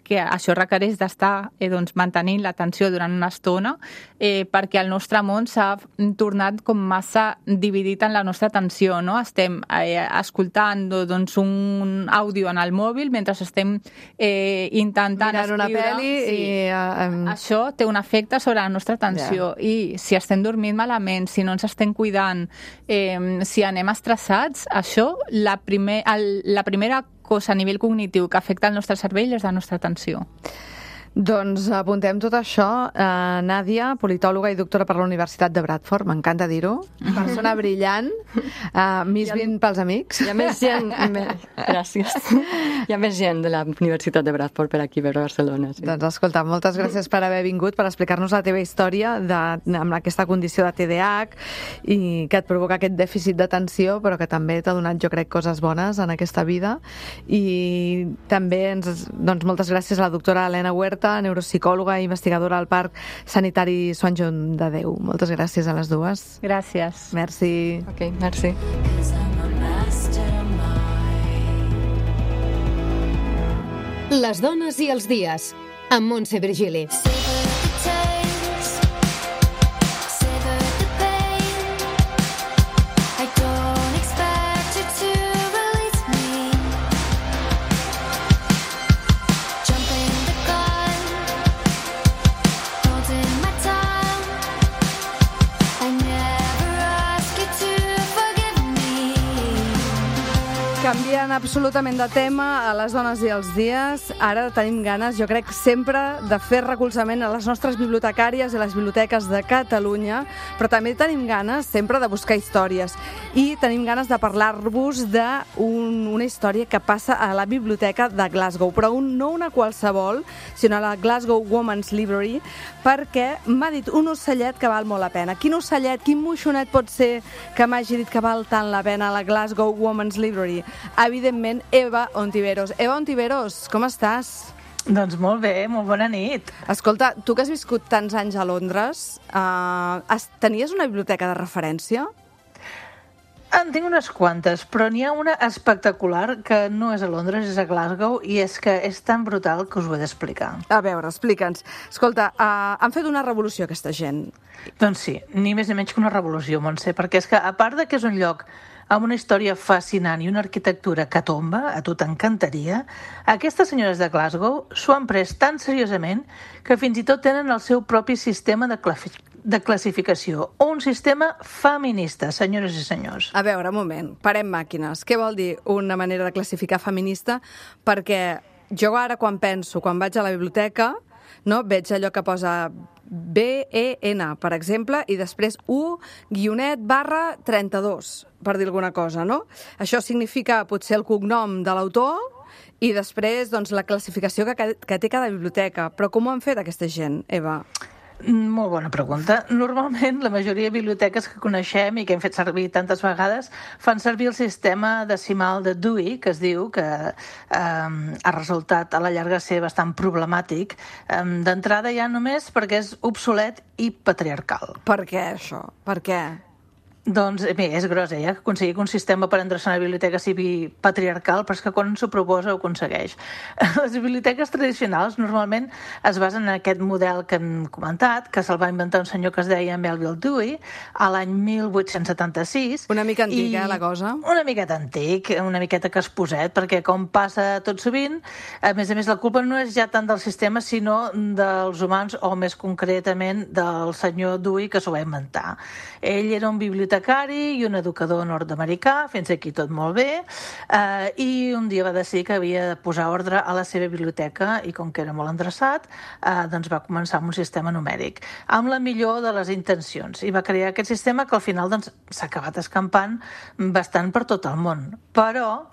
que això requereix d'estar eh, doncs, mantenint l'atenció durant una estona eh, perquè el nostre món s'ha tornat com massa dividit en la nostra atenció, no? Estem eh, escoltant doncs, un àudio en el mòbil mentre estem eh, intentant Mirant una escriure. pel·li Sí. i... Uh, um... Això té un efecte sobre la nostra atenció Ja. i si estem dormint malament, si no ens estem cuidant, eh, si anem estressats, això, la, primer, el, la primera cosa a nivell cognitiu que afecta el nostre cervell és la nostra atenció. Doncs apuntem tot això. Uh, Nàdia, politòloga i doctora per la Universitat de Bradford, m'encanta dir-ho. Persona brillant, uh, Miss vint pels amics. Hi ha més gent... Me... Gràcies. Hi ha més gent de la Universitat de Bradford per aquí, per Barcelona. Sí. Doncs escolta, moltes gràcies per haver vingut, per explicar-nos la teva història de, amb aquesta condició de T D A H i que et provoca aquest dèficit d'atenció, però que també t'ha donat, jo crec, coses bones en aquesta vida. I també, ens, doncs, moltes gràcies a la doctora Helena Huerta, neuropsicòloga i investigadora al Parc Sanitari Sant Joan de Déu. Moltes gràcies a les dues. Gràcies. Merci. Ok, merci. Les dones i els dies, amb Montse Virgili. Canviant absolutament de tema a les dones i els dies, ara tenim ganes, jo crec, sempre de fer recolzament a les nostres bibliotecàries i les biblioteques de Catalunya, però també tenim ganes sempre de buscar històries i tenim ganes de parlar-vos d'una un, història que passa a la biblioteca de Glasgow, però un, no una qualsevol, sinó a la Glasgow Women's Library, perquè m'ha dit un ocellet que val molt la pena. Quin ocellet, quin moixonet pot ser que m'hagi dit que val tant la pena a la Glasgow Women's Library? Evidentment, Eva Ontiveros. Eva Ontiveros, com estàs? Doncs molt bé, molt bona nit. Escolta, tu que has viscut tants anys a Londres, eh, tenies una biblioteca de referència? En tinc unes quantes, però n'hi ha una espectacular que no és a Londres, és a Glasgow, i és que és tan brutal que us ho he d'explicar. A veure, explica'ns. Escolta, uh, han fet una revolució aquesta gent. Doncs sí, ni més ni menys que una revolució, Montse, perquè és que a part de que és un lloc amb una història fascinant i una arquitectura que tomba, a tu t'encantaria, aquestes senyores de Glasgow s'ho han pres tan seriosament que fins i tot tenen el seu propi sistema de, de classificació, un sistema feminista, senyores i senyors. A veure, un moment, parem màquines. Què vol dir una manera de classificar feminista? Perquè jo ara quan penso, quan vaig a la biblioteca, no, veig allò que posa B E N, per exemple, i després U guionet barra trenta-dos, per dir alguna cosa, no? Això significa potser el cognom de l'autor i després doncs, la classificació que, que té cada biblioteca. Però com ho han fet aquesta gent, Eva? Molt bona pregunta. Normalment, la majoria de biblioteques que coneixem i que hem fet servir tantes vegades fan servir el sistema decimal de Dewey, que es diu que eh, ha resultat a la llarga ser bastant problemàtic. Eh, D'entrada ja només perquè és obsolet i patriarcal. Per què, això? Per què? Doncs bé, és gros, eh? Aconseguir que un sistema per endreçar una biblioteca sigui patriarcal, però és que quan s'ho proposa ho aconsegueix. Les biblioteques tradicionals normalment es basen en aquest model que hem comentat, que se'l va inventar un senyor que es deia Melville Dewey a l'any mil vuit-cents setanta-sis. Una mica antic, i... eh, la cosa? Una miqueta antic, una miqueta casposet, perquè com passa tot sovint, a més a més la culpa no és ja tant del sistema, sinó dels humans, o més concretament del senyor Dewey, que s'ho va inventar. Ell era un bibliotecari i un educador nord-americà, fins aquí tot molt bé, eh, i un dia va decidir que havia de posar ordre a la seva biblioteca i com que era molt endreçat, eh, doncs va començar amb un sistema numèric, amb la millor de les intencions, i va crear aquest sistema que al final doncs, s'ha acabat escampant bastant per tot el món. Però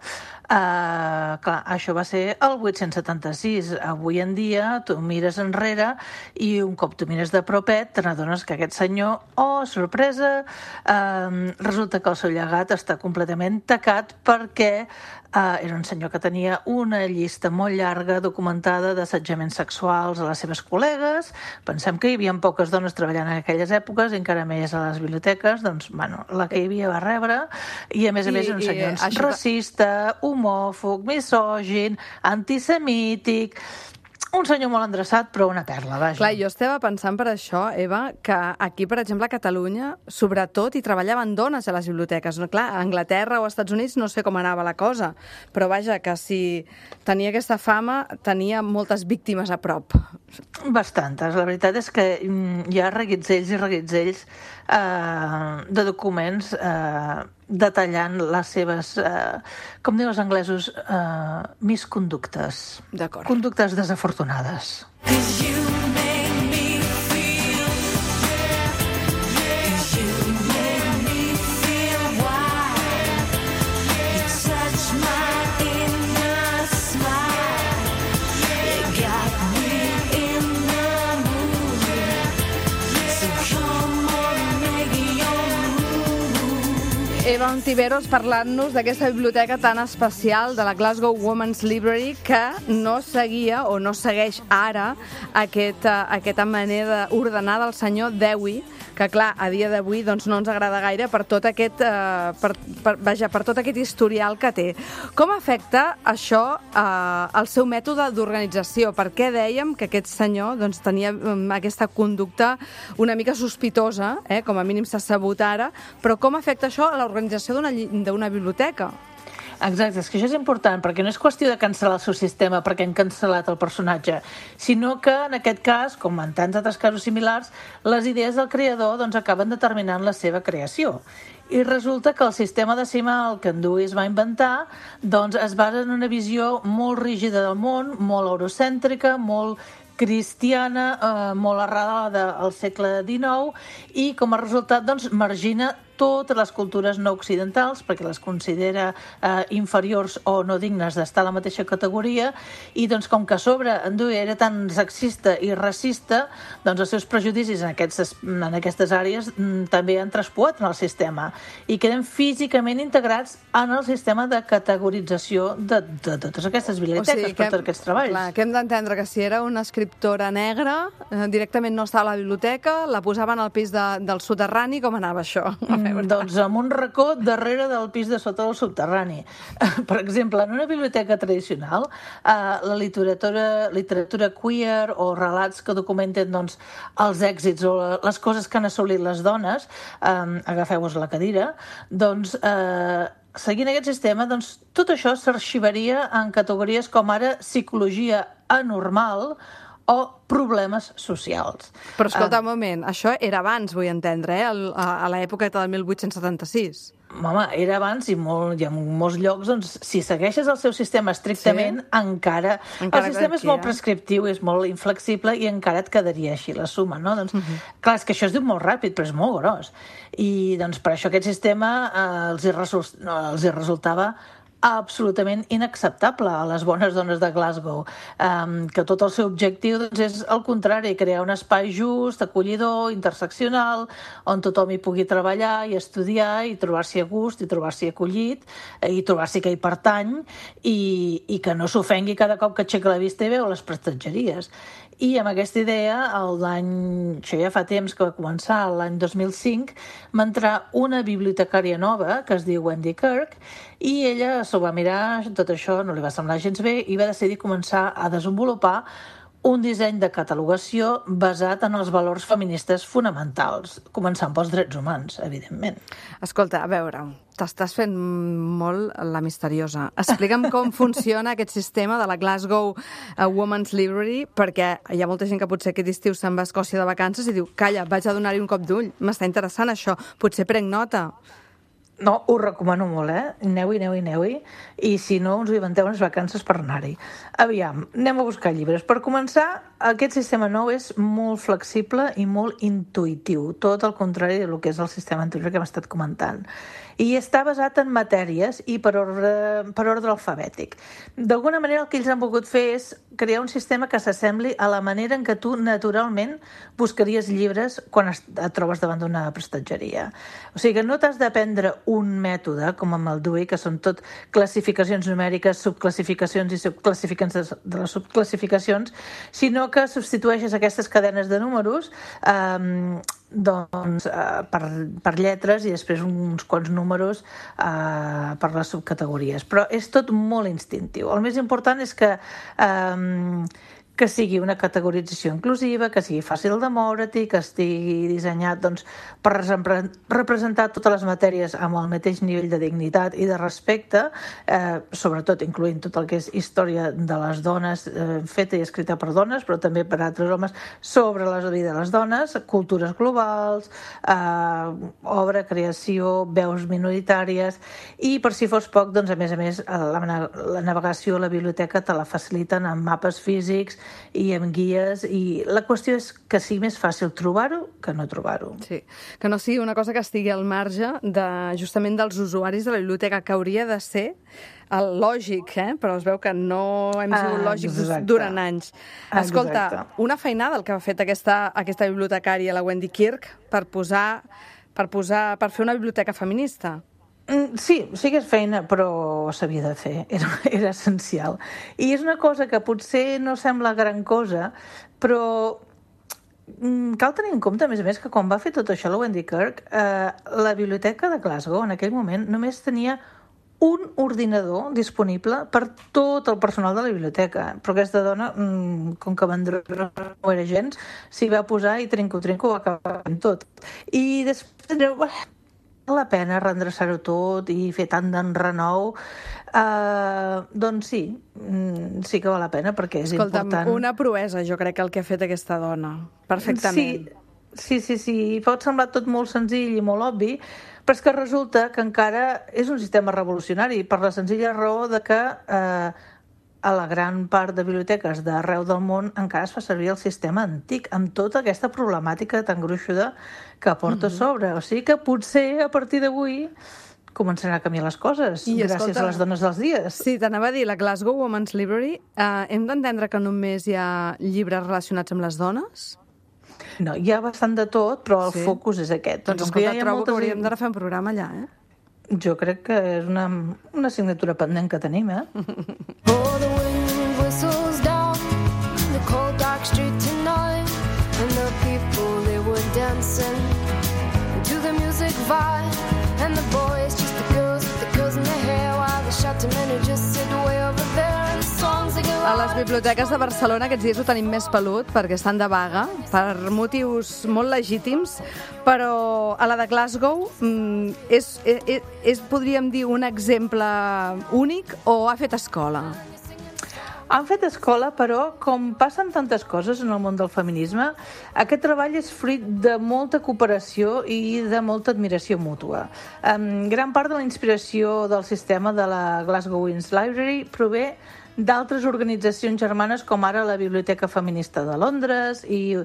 Uh, clar, això va ser el vuit-cents setanta-sis. Avui en dia tu mires enrere i un cop tu mires de propet te n'adones que aquest senyor, oh, sorpresa, uh, resulta que el seu llegat està completament tacat perquè uh, era un senyor que tenia una llista molt llarga documentada d'assetjaments sexuals a les seves col·legues. Pensem que hi havia poques dones treballant en aquelles èpoques i encara més a les biblioteques, doncs, bueno, la que hi havia va rebre, i a més a més un senyor això... racista, homòfob, misògin, antisemític, un senyor molt endreçat, però una perla, vaja. Clar, jo estava pensant per això, Eva, que aquí, per exemple, a Catalunya, sobretot, hi treballaven dones a les biblioteques. No, clar, a Anglaterra o als Estats Units no sé com anava la cosa, però vaja, que si tenia aquesta fama, tenia moltes víctimes a prop. Bastantes. La veritat és que hi ha reguitzells i reguitzells eh, de documents eh, detallant les seves, eh, com diuen els anglesos, eh, misconductes. D'acord. Conductes desafortunades. Eva Ontiveros parlant-nos d'aquesta biblioteca tan especial de la Glasgow Women's Library que no seguia o no segueix ara aquest, aquesta manera d'ordenar del senyor Dewey, que clar, a dia d'avui doncs, no ens agrada gaire per tot aquest, eh, per, per, vaja, per tot aquest historial que té. Com afecta això eh, el seu mètode d'organització? Per què dèiem que aquest senyor doncs, tenia um, aquesta conducta una mica sospitosa, eh, com a mínim s'ha sabut ara, però com afecta això a l'organització d'una biblioteca? Exacte, és que això és important, perquè no és qüestió de cancel·lar el seu sistema perquè han cancel·lat el personatge, sinó que en aquest cas, com en tants altres casos similars, les idees del creador doncs, acaben determinant la seva creació. I resulta que el sistema decimal que en Dewey es va inventar doncs, es basa en una visió molt rígida del món, molt eurocèntrica, molt cristiana, eh, molt arrelada al segle dinou, i com a resultat doncs, margina totes les cultures no occidentals perquè les considera eh, inferiors o no dignes d'estar a la mateixa categoria, i doncs com que a sobre en Dewey era tan sexista i racista, doncs els seus prejudicis en, aquestes, en aquestes àrees mm, també han traspuat en el sistema i queden físicament integrats en el sistema de categorització de, de, de totes aquestes biblioteques, o sigui, per tots aquests treballs. Clar, que hem d'entendre que si era una escriptora negra, eh, directament no estava a la biblioteca, la posaven al pis de, del soterrani, com anava això? Mm, doncs en un racó darrere del pis de sota del subterrani. Per exemple, en una biblioteca tradicional, eh, la literatura, literatura queer o relats que documenten doncs, els èxits o les coses que han assolit les dones, eh, agafeu-vos la cadira, doncs eh, seguint aquest sistema, doncs, tot això s'arxivaria en categories com ara psicologia anormal o problemes socials. Però escolta, un moment, això era abans, vull entendre, eh? a, a l'època del mil vuit-cents setanta-sis. Home, era abans i, molt, i en molts llocs, doncs, si segueixes el seu sistema estrictament, sí? encara... encara... El sistema és molt prescriptiu, és molt inflexible i encara et quedaria així la suma, no? Doncs, uh-huh. Clar, és que això es diu molt ràpid, però és molt gros. I doncs, per això aquest sistema eh, els, hi resol... no, els hi resultava absolutament inacceptable a les bones dones de Glasgow, um, que tot el seu objectiu doncs, és el contrari, crear un espai just, acollidor, interseccional, on tothom hi pugui treballar i estudiar i trobar-s'hi a gust i trobar-s'hi acollit i trobar-s'hi que hi pertany i, i que no s'ofengui cada cop que aixeca la vista i veu les prestatgeries. I amb aquesta idea, l'any, això ja fa temps que va començar, l'any dos mil cinc, va entrar una bibliotecària nova, que es diu Wendy Kirk, i ella s'ho va mirar, tot això no li va semblar gens bé, i va decidir començar a desenvolupar un disseny de catalogació basat en els valors feministes fonamentals, començant pels drets humans, evidentment. Escolta, a veure, t'estàs fent molt la misteriosa. Explica'm com funciona aquest sistema de la Glasgow Women's Library, perquè hi ha molta gent que potser aquest estiu se'n va a Escòcia de vacances i diu, calla, vaig a donar-hi un cop d'ull, m'està interessant això, potser prenc nota. No, ho recomano molt, eh? Aneu-hi, aneu-hi, aneu-hi. I si no, us inventeu unes vacances per anar-hi. Aviam, anem a buscar llibres. Per començar, aquest sistema nou és molt flexible i molt intuïtiu, tot el contrari del que és el sistema anterior que hem estat comentant. I està basat en matèries i per ordre, per ordre alfabètic. D'alguna manera el que ells han volgut fer és crear un sistema que s'assembli a la manera en què tu naturalment buscaries llibres quan et trobes davant d'una prestatgeria. O sigui que no t'has d'aprendre un mètode, com amb el Dewey, que són tot classificacions numèriques, subclassificacions i subclassificacions de les subclassificacions, sinó que substitueixes aquestes cadenes de números eh, doncs, eh, per, per lletres i després uns quants números eh, per les subcategories. Però és tot molt instintiu. El més important és que eh, que sigui una categorització inclusiva, que sigui fàcil de moure't-hi, que estigui dissenyat doncs, per representar totes les matèries amb el mateix nivell de dignitat i de respecte, eh, sobretot incloent tot el que és història de les dones, eh, feta i escrita per dones, però també per altres homes, sobre la vida de les dones, cultures globals, eh, obra, creació, veus minoritàries, i per si fos poc, doncs, a més a més, la, la navegació a la biblioteca te la faciliten amb mapes físics i amb guies, i la qüestió és que sigui més fàcil trobar-ho que no trobar-ho. Sí, que no sigui una cosa que estigui al marge de, justament dels usuaris de la biblioteca, que hauria de ser el lògic, eh? Però es veu que no hem sigut ah, lògics exacte. durant anys. Escolta, exacte. Una feinada el que ha fet aquesta, aquesta bibliotecària, la Wendy Kirk, per posar, per posar, per fer una biblioteca feminista. Sí, sí que és feina, però s'havia de fer, era, era essencial. I és una cosa que potser no sembla gran cosa, però cal tenir en compte, a més a més, que quan va fer tot això la Wendy Kirk, eh, la biblioteca de Glasgow en aquell moment només tenia un ordinador disponible per tot el personal de la biblioteca. Però aquesta dona, com que vendrà no era gens, s'hi va posar i trinco-trinco va acabar amb tot. I després la pena reendreçar-ho tot i fer tant d'enrenou, uh, doncs sí, sí que val la pena perquè és Escolta'm, important. Una proesa, jo crec que el que ha fet aquesta dona, perfectament. Sí, sí, sí, sí, pot semblar tot molt senzill i molt obvi, però és que resulta que encara és un sistema revolucionari per la senzilla raó de que eh, a la gran part de biblioteques d'arreu del món encara es fa servir el sistema antic, amb tota aquesta problemàtica tan gruixuda que porta mm-hmm. sobre. O sigui que potser a partir d'avui començaran a canviar les coses, I, gràcies escolta, a les dones dels dies. Sí, t'anava a dir, la Glasgow Women's Library, eh, hem d'entendre que només hi ha llibres relacionats amb les dones? No, hi ha bastant de tot, però el sí. focus és aquest. Doncs escolta, ja trobo moltes... que hauríem de fer un programa allà, eh? Jo crec que és una, una assignatura pendent que tenim, eh? Oh, the wind whistles down the cold dark street tonight, and the people, they were dancing to the music vibe, and the boys just the girls with the girls in their hair, while the shouting men who just sit way over there, and the songs they go a les biblioteques de Barcelona aquests dies ho tenim més pelut perquè estan de vaga, per motius molt legítims, però a la de Glasgow és, és, és, podríem dir, un exemple únic o ha fet escola? Han fet escola, però, com passen tantes coses en el món del feminisme, aquest treball és fruit de molta cooperació i de molta admiració mútua. Um, gran part de la inspiració del sistema de la Glasgow Women's Library prové d'altres organitzacions germanes com ara la Biblioteca Feminista de Londres i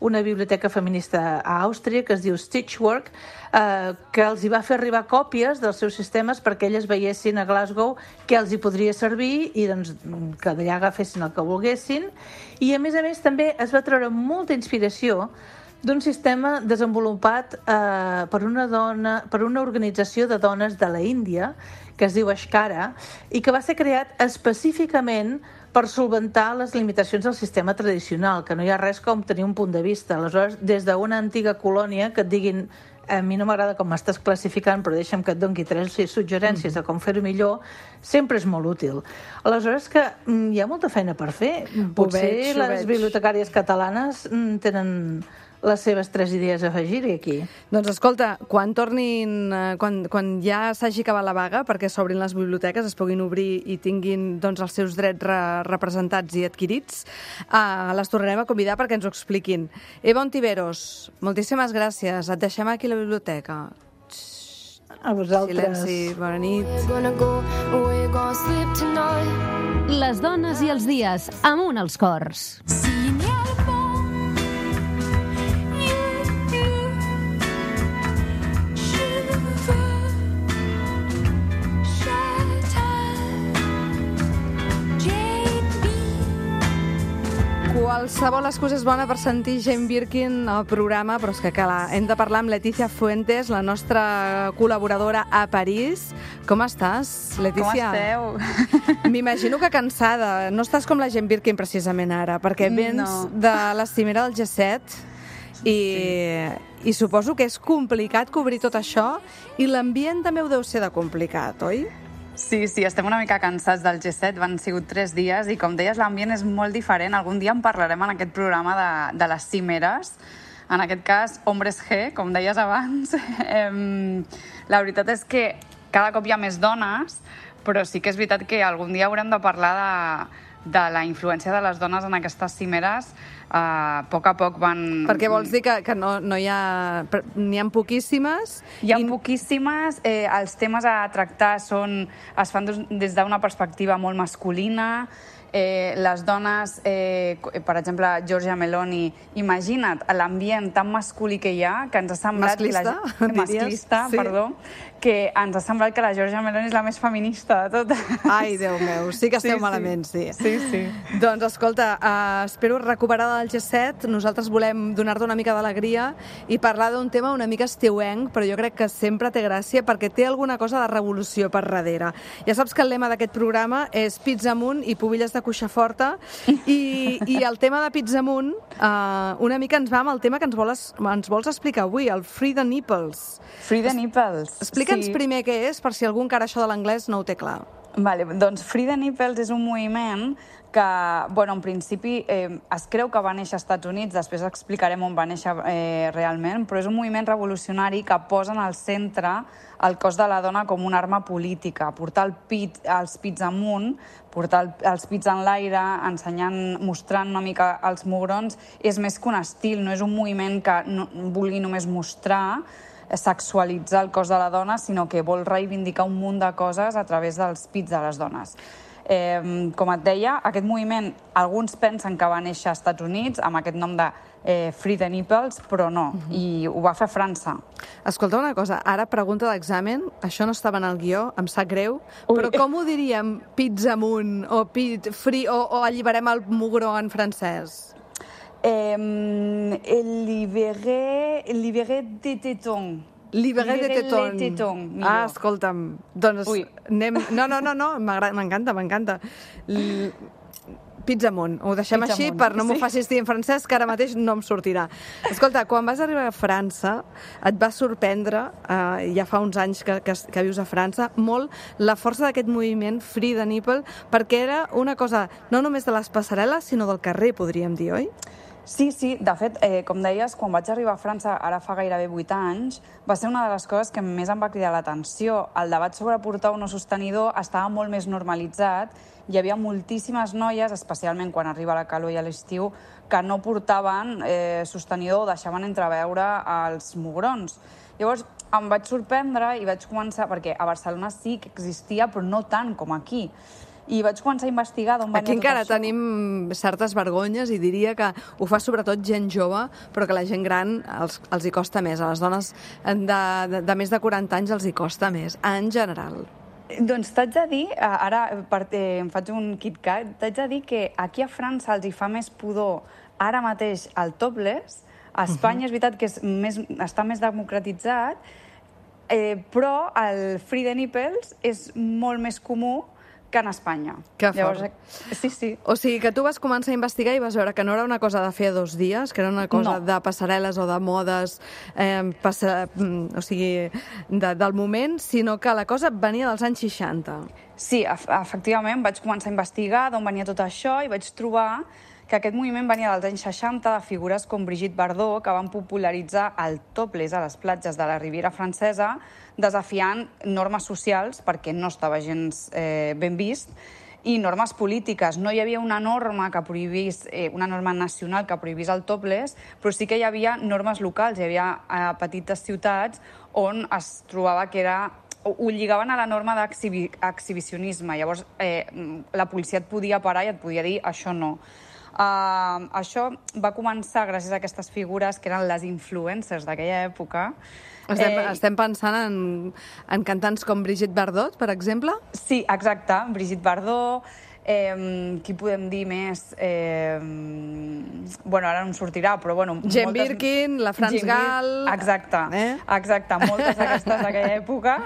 una biblioteca feminista a Àustria que es diu Stitchwork, eh, que els hi va fer arribar còpies dels seus sistemes perquè elles veiessin a Glasgow què els hi podria servir i doncs, que d'allà agafessin el que volguessin. I a més a més també es va treure molta inspiració d'un sistema desenvolupat eh, per una dona, per una organització de dones de la Índia que es diu Ashkara i que va ser creat específicament per solventar les limitacions del sistema tradicional, que no hi ha res com tenir un punt de vista. Aleshores, des d'una antiga colònia que et diguin a mi no m'agrada com m'estàs classificant, però deixa'm que et doni tres suggerències de com fer-ho millor, sempre és molt útil. Aleshores que mm, hi ha molta feina per fer. Potser veig, ho les veig. bibliotecàries catalanes mm, tenen les seves tres idees a afegir-hi aquí. Doncs escolta, quan tornin, eh, quan, quan ja s'hagi acabat la vaga, perquè s'obrin les biblioteques, es puguin obrir i tinguin doncs, els seus drets re representats i adquirits, eh, les tornarem a convidar perquè ens ho expliquin. Eva Ontiveros, moltíssimes gràcies. Et deixem aquí a la biblioteca. A vosaltres. Silenci, bona nit. We're gonna go, we're gonna sleep tonight. Les dones i els dies, amunt els cors. Qualsevol excusa és bona per sentir Jane Birkin al programa, però és que clar, hem de parlar amb Letícia Fuentes, la nostra col·laboradora a París. Com estàs, Letícia? Com esteu? M'imagino que cansada. No estàs com la Jane Birkin precisament ara, perquè vens No. de la cimera del G set i, i suposo que és complicat cobrir tot això i l'ambient també ho deu ser de complicat, oi? Sí, sí, estem una mica cansats del G set, van sigut tres dies i com deies l'ambient és molt diferent. Algun dia en parlarem en aquest programa de, de les cimeres, en aquest cas Hombres G, com deies abans. Eh, la veritat és que cada cop hi ha més dones, però sí que és veritat que algun dia haurem de parlar de, de la influència de les dones en aquestes cimeres. A poc a poc van... Perquè vols dir que, que no, no hi ha... N'hi ha poquíssimes? Hi ha i... poquíssimes, eh, els temes a tractar són, es fan des, des d'una perspectiva molt masculina, eh, les dones, eh, per exemple, Giorgia Meloni, imagina't l'ambient tan masculí que hi ha, que ens ha semblat... Masclista, que la, masclista, sí. perdó, que ens ha semblat que la Giorgia Meloni és la més feminista de totes. Ai, Déu meu, sí que esteu Sí, sí. malament, sí. Sí, sí. Doncs escolta, uh, espero recuperar del G set. Nosaltres volem donar-te una mica d'alegria i parlar d'un tema una mica estiuenc, però jo crec que sempre té gràcia perquè té alguna cosa de revolució per darrere. Ja saps que el lema d'aquest programa és pizza amunt i pubilles de cuixa forta i, i el tema de pizza amunt uh, una mica ens va amb el tema que ens vols, ens vols explicar avui, el Free the Nipples. Free the Nipples. Explica'ns sí. primer què és, per si algú encara això de l'anglès no ho té clar. Vale, doncs Free the Nipples és un moviment que, bueno, en principi eh, es creu que va néixer als Estats Units, després explicarem on va néixer eh, realment, però és un moviment revolucionari que posa en el centre el cos de la dona com una arma política, portar el pit, els pits amunt, portar el, els pits en l'aire, ensenyant, mostrant una mica els mugrons, és més que un estil, no és un moviment que no, vulgui només mostrar, sexualitzar el cos de la dona, sinó que vol reivindicar un munt de coses a través dels pits de les dones. Eh, com et deia, aquest moviment, alguns pensen que va néixer als Estats Units amb aquest nom de eh, Free the Nipples, però no, uh-huh. i ho va fer França. Escolta una cosa, ara pregunta d'examen, això no estava en el guió, em sap greu, Ui. però com ho diríem pits amunt o pit free o, o alliberem el mugró en francès? Eh, libéré, libéré de tétons. Libéré de tétons. les tétons, millor. Ah, escolta'm, doncs Ui. anem... No, no, no, no, m'encanta, m'encanta. L... Pits amunt, ho deixem Pits així amunt, per no m'ho sí. facis dir en francès, que ara mateix no em sortirà. Escolta, quan vas arribar a França, et va sorprendre, eh, ja fa uns anys que, que, que vius a França, molt la força d'aquest moviment Free the Nipple, perquè era una cosa no només de les passarel·les, sinó del carrer, podríem dir, oi? Sí, sí, de fet, eh, com deies, quan vaig arribar a França, ara fa gairebé vuit anys, va ser una de les coses que més em va cridar l'atenció. El debat sobre portar o no sostenidor estava molt més normalitzat. Hi havia moltíssimes noies, especialment quan arriba la calor i a l'estiu, que no portaven eh, sostenidor o deixaven entreveure els mugrons. Llavors, em vaig sorprendre i vaig començar, perquè a Barcelona sí que existia, però no tant com aquí. I vaig començar a investigar d'on venia Aquí tot encara això. tenim certes vergonyes i diria que ho fa sobretot gent jove, però que la gent gran els, els hi costa més. A les dones de, de, de més de quaranta anys els hi costa més, en general. Doncs t'haig de dir, ara per, eh, em faig un KitKat, t'haig de dir que aquí a França els hi fa més pudor ara mateix el topless. A Espanya uh-huh. és veritat que és més, està més democratitzat, eh, però el free the nipples és molt més comú que en Espanya. Que fort. Llavors, sí, sí. O sigui que tu vas començar a investigar i vas veure que no era una cosa de fer dos dies, que era una cosa No. de passarel·les o de modes, eh, passa, o sigui, de, del moment, sinó que la cosa venia dels anys seixanta. Sí, ef efectivament, vaig començar a investigar d'on venia tot això i vaig trobar que aquest moviment venia dels anys seixanta de figures com Brigitte Bardot, que van popularitzar el topless a les platges de la Riviera Francesa, desafiant normes socials, perquè no estava gens eh, ben vist, i normes polítiques. No hi havia una norma que prohibís, eh, una norma nacional que prohibís el topless, però sí que hi havia normes locals. Hi havia eh, petites ciutats on es trobava que era ho, ho lligaven a la norma d'exhibicionisme. Llavors, eh, la policia et podia parar i et podia dir això no. Uh, això va començar gràcies a aquestes figures que eren les influencers d'aquella època. Estem, Eh, estem pensant en, en cantants com Brigitte Bardot, per exemple? Sí, exacte, Brigitte Bardot. Eh, qui podem dir més? Eh, bueno, ara no em sortirà, però bueno... Jane moltes... Birkin, la Franz Jane Gall... Bir- Exacte, Eh? exacte, moltes d'aquestes d'aquella època.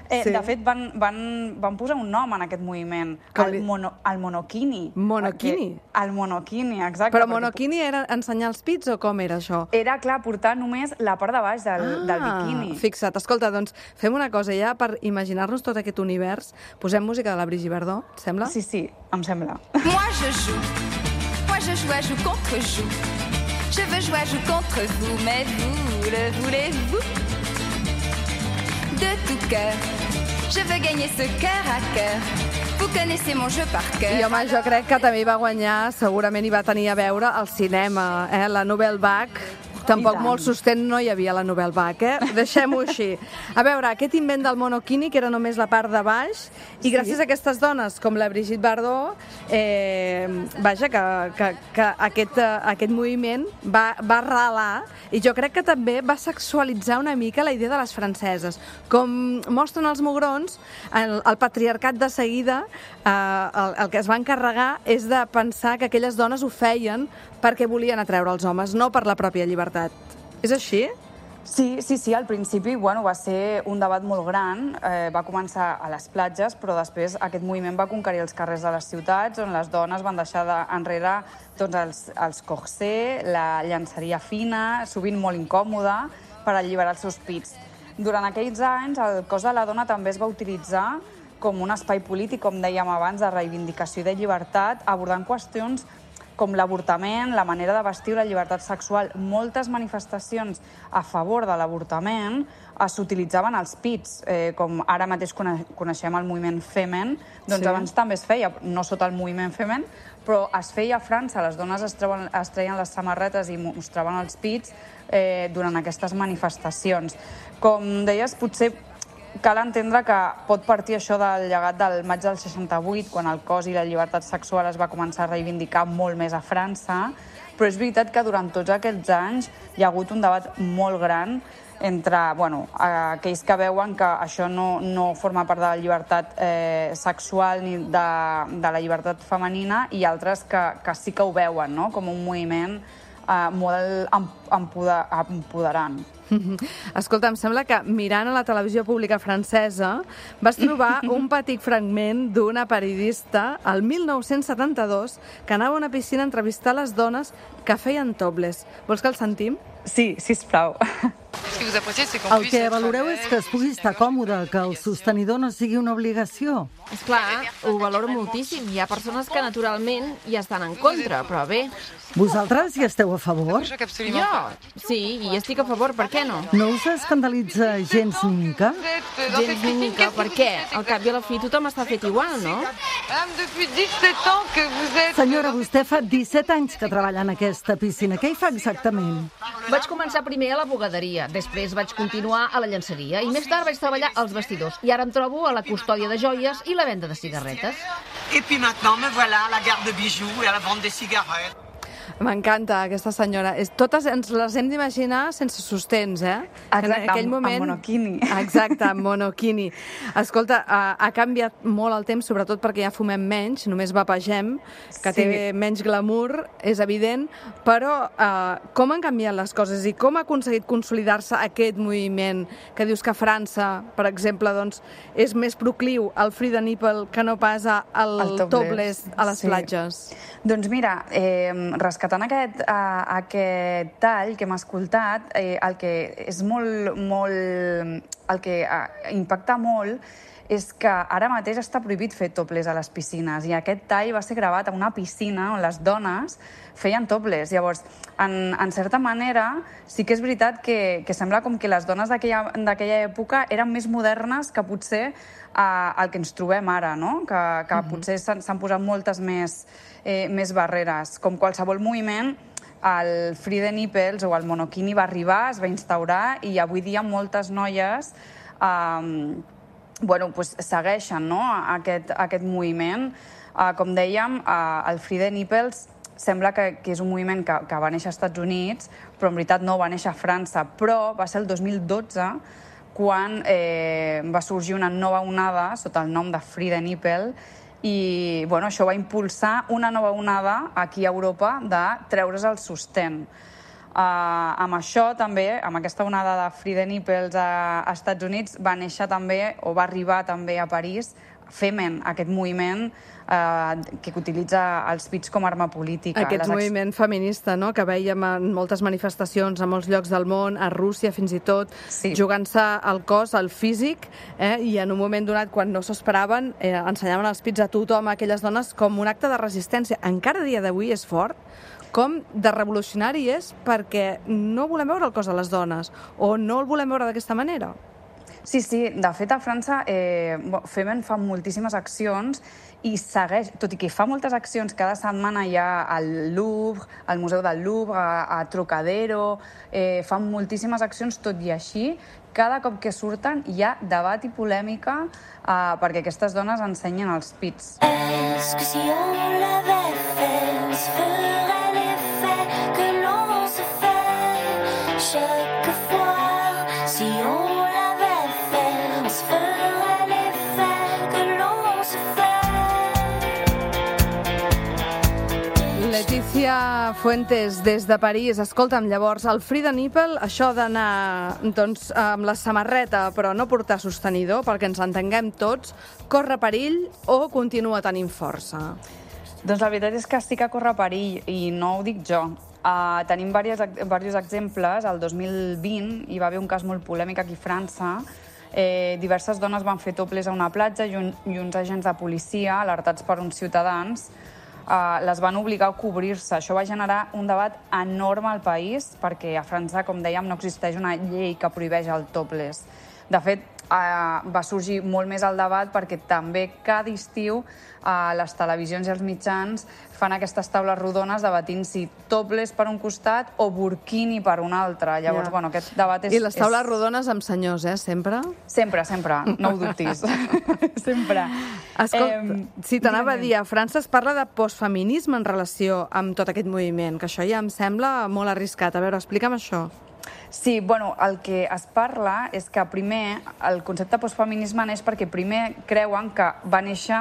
Eh, Sí. De fet, van, van, van posar un nom en aquest moviment, Com el, li- mono, el monokini. Monokini? Perquè- El monokini, exacte. Però perquè monokini era ensenyar els pits o com era això? Era, clar, portar només la part de baix del, Ah, del biquini. Fixa't. Escolta, doncs fem una cosa ja per imaginar-nos tot aquest univers. Posem música de la Brigitte Bardot, et sembla? Sí, sí, em sembla. Moi je joue, moi je joue à joue contre joue. Je veux jouer à joue contre vous, mais vous le voulez-vous? De tout cœur, je veux gagner ce cœur à cœur. Vous connaissez mon jeu par cœur. I home, jo crec que també hi va guanyar, segurament hi va tenir a veure el cinema, eh? La Nouvelle Vague. Tampoc tant. molt sostent no hi havia la Nouvelle Vague, eh? Deixem-ho així. A veure, aquest invent del monokini, que era només la part de baix, i gràcies a aquestes dones, com la Brigitte Bardot, eh, vaja, que, que, que aquest, eh, aquest moviment va, va relar, i jo crec que també va sexualitzar una mica la idea de les franceses. Com mostren els mugrons, el, el patriarcat de seguida, eh, el, el que es va encarregar és de pensar que aquelles dones ho feien perquè volien atreure els homes, no per la pròpia llibertat. És així? Sí, sí, sí, al principi bueno, va ser un debat molt gran, eh, va començar a les platges, però després aquest moviment va conquerir els carrers de les ciutats, on les dones van deixar de, enrere tots els, els corsets, la llançaria fina, sovint molt incòmoda, per alliberar els seus pits. Durant aquells anys, el cos de la dona també es va utilitzar com un espai polític, com dèiem abans, de reivindicació i de llibertat, abordant qüestions com l'avortament, la manera de vestir, la llibertat sexual. Moltes manifestacions a favor de l'avortament s'utilitzaven els pits, eh, com ara mateix cone coneixem el moviment Femen, doncs Sí. abans també es feia, no sota el moviment Femen, però es feia a França, les dones es, treuen, es treien les samarretes i mostraven els pits eh, durant aquestes manifestacions. Com deies, potser cal entendre que pot partir això del llegat del maig del seixanta-vuit, quan el cos i la llibertat sexual es va començar a reivindicar molt més a França, però és veritat que durant tots aquests anys hi ha hagut un debat molt gran entre bueno, aquells que veuen que això no, no forma part de la llibertat eh, sexual ni de, de la llibertat femenina i altres que, que sí que ho veuen, no? Com un moviment eh, molt empoder, empoderant. Escolta, em sembla que mirant a la televisió pública francesa vas trobar un petit fragment d'una periodista el mil nou-cents setanta-dos que anava a una piscina a entrevistar les dones que feien topless. Vols que el sentim? Sí, sisplau. El que valoreu és que es pugui estar còmode, que el sostenidor no sigui una obligació. Esclar, ho valoro moltíssim. Hi ha persones que naturalment hi estan en contra, però bé. Vosaltres hi esteu a favor? Jo? Sí, hi estic a favor, per què no? No us escandalitza gens ni mica? Gens ni mica, per què? Al cap i a la fi tothom està fet igual, no? Senyora, vostè fa disset anys que treballa en aquesta piscina. Què hi fa exactament? Vaig començar primer a la bugaderia, després vaig continuar a la llançaria i més tard vaig treballar als vestidors. I ara em trobo a la custòdia de joies i la venda de cigarretes. Et puis maintenant, me voilà à la gare de bijoux et à la vente des cigarettes. M'encanta aquesta senyora. És, totes ens les hem d'imaginar sense sostens, eh? Exacte, en aquell amb, moment... amb monokini. Exacte, amb monokini. Escolta, ha, ha canviat molt el temps, sobretot perquè ja fumem menys, només vapegem, que Sí. té menys glamour, és evident, però eh, com han canviat les coses i com ha aconseguit consolidar-se aquest moviment que dius que a França, per exemple, doncs, és més procliu al free the nipple que no pas al El topless a les sí. platges? Doncs mira, eh, rescatant aquest, uh, aquest tall que hem escoltat, eh, el que és molt, molt, el que uh, impacta molt és que ara mateix està prohibit fer topless a les piscines i aquest tall va ser gravat a una piscina on les dones feien topless. Llavors, en, en certa manera, sí que és veritat que, que sembla com que les dones d'aquella època eren més modernes que potser uh, el que ens trobem ara, no? Que, que mm-hmm. potser s'han posat moltes més, eh, més barreres. Com qualsevol moviment, el free the nipples o el monokini va arribar, es va instaurar i avui dia moltes noies eh, bueno, pues, segueixen, no? aquest, aquest moviment. Uh, com dèiem, uh, el free the nipples sembla que, que és un moviment que, que va néixer als Estats Units, però en veritat no va néixer a França, però va ser el dos mil dotze quan eh, va sorgir una nova onada sota el nom de free the nipple i bueno, això va impulsar una nova onada aquí a Europa de treure's el sostén. Uh, amb això també, amb aquesta onada de free the nipples a, a Estats Units, va néixer també, o va arribar també a París, Femen, aquest moviment uh, que utilitza els pits com a arma política. Aquest Les moviment feminista, no?, que veiem en moltes manifestacions a molts llocs del món, a Rússia fins i tot, sí. jugant-se al cos, al físic, eh? I en un moment donat, quan no s'ho esperaven, eh, ensenyaven els pits a tothom, a aquelles dones, com un acte de resistència. Encara a dia d'avui és fort com de revolucionari és perquè no volem veure el cos de les dones o no el volem veure d'aquesta manera. Sí, sí. De fet, a França, eh, Femen fa moltíssimes accions i segueix, tot i que fa moltes accions, cada setmana hi ha al Louvre, al Museu del Louvre, a, a Trocadero, eh, fan moltíssimes accions, tot i així, cada cop que surten hi ha debat i polèmica eh, perquè aquestes dones ensenyen els pits. Est-ce que si on l'avait fait, se ferait l'effet que l'on se fait chaque fois? Si on Letícia Fuentes, des de París. Escolta'm, llavors, el free the nipple, això d'anar doncs, amb la samarreta però no portar sostenidor, perquè ens entenguem tots, corre perill o continua tenint força? Doncs la veritat és que sí que corre perill, i no ho dic jo. Uh, tenim diversos exemples. El dos mil vint hi va haver un cas molt polèmic aquí a França. Eh, diverses dones van fer topless a una platja i, un, i uns agents de policia, alertats per uns ciutadans, Uh, les van obligar a cobrir-se. Això va generar un debat enorme al país perquè a França, com dèiem, no existeix una llei que prohibeix el topless. De fet, uh, va sorgir molt més el debat perquè també cada estiu uh, les televisions i els mitjans fan aquestes taules rodones debatint si topless per un costat o burkini per un altre. Llavors, Ja. bueno, aquest debat és... I les taules és... rodones amb senyors, eh, sempre? Sempre, sempre, no ho dubtis. Sempre. Escolta, Eh, si t'anava a digue'm. dir, a França es parla de postfeminisme en relació amb tot aquest moviment, que això ja em sembla molt arriscat. A veure, explica'm això. Sí, bueno, el que es parla és que primer el concepte postfeminisme neix perquè primer creuen que va néixer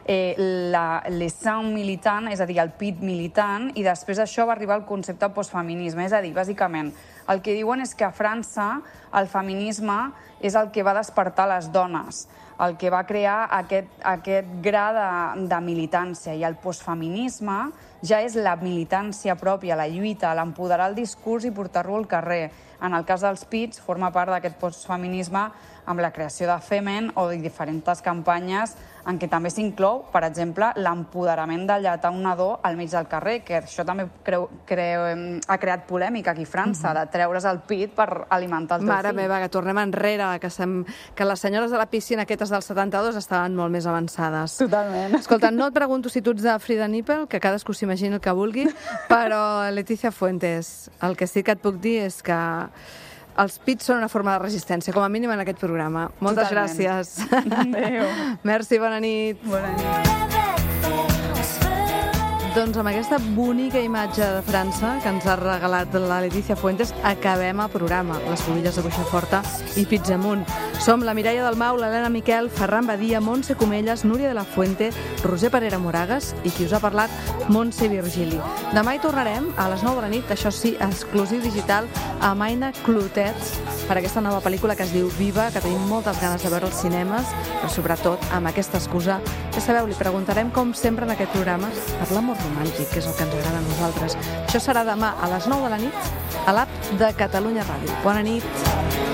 eh, la, l'essent militant, és a dir, el pit militant, i després d'això va arribar el concepte postfeminisme. És a dir, bàsicament, el que diuen és que a França el feminisme és el que va despertar les dones, el que va crear aquest, aquest gra de, de militància, i el postfeminisme ja és la militància pròpia, la lluita, l'empoderar el discurs i portar-lo al carrer. En el cas dels pits, forma part d'aquest postfeminisme amb la creació de Femen o de diferents campanyes en què també s'inclou, per exemple, l'empoderament de lletar un nadó al mig del carrer, que això també creu, creu, ha creat polèmica aquí a França, de treure's el pit per alimentar el teu Mare fill. meva, que tornem enrere, que, sem... que les senyores de la piscina aquestes del setanta-dos estaven molt més avançades. Totalment. Escolta, no et pregunto si tu ets de free the nipple, que cadascú s'imagini el que vulgui, però, Letícia Fuentes, el que sí que et puc dir és que els pits són una forma de resistència, com a mínim en aquest programa. Moltes Totalment. gràcies. Adéu. Merci, bona nit. Bona nit. Doncs amb aquesta bonica imatge de França que ens ha regalat la Letícia Fuentes acabem el programa. Les Fumilles de Boixaforta i Pizzamunt. Som la Mireia Dalmau, l'Helena Miquel, Ferran Badia, Montse Comelles, Núria de la Fuente, Roser Parera Moragas i qui us ha parlat, Montse Virgili. Demà hi tornarem a les nou de la nit, això sí, exclusiu digital, amb Aina Clotet per aquesta nova pel·lícula que es diu Viva, que tenim moltes ganes de veure als cinemes, però sobretot amb aquesta excusa. Ja sabeu, li preguntarem com sempre en aquest programa per l'amor romàntic, que és el que ens agrada a nosaltres. Això serà demà a les nou de la nit a l'app de Catalunya Ràdio. Bona nit.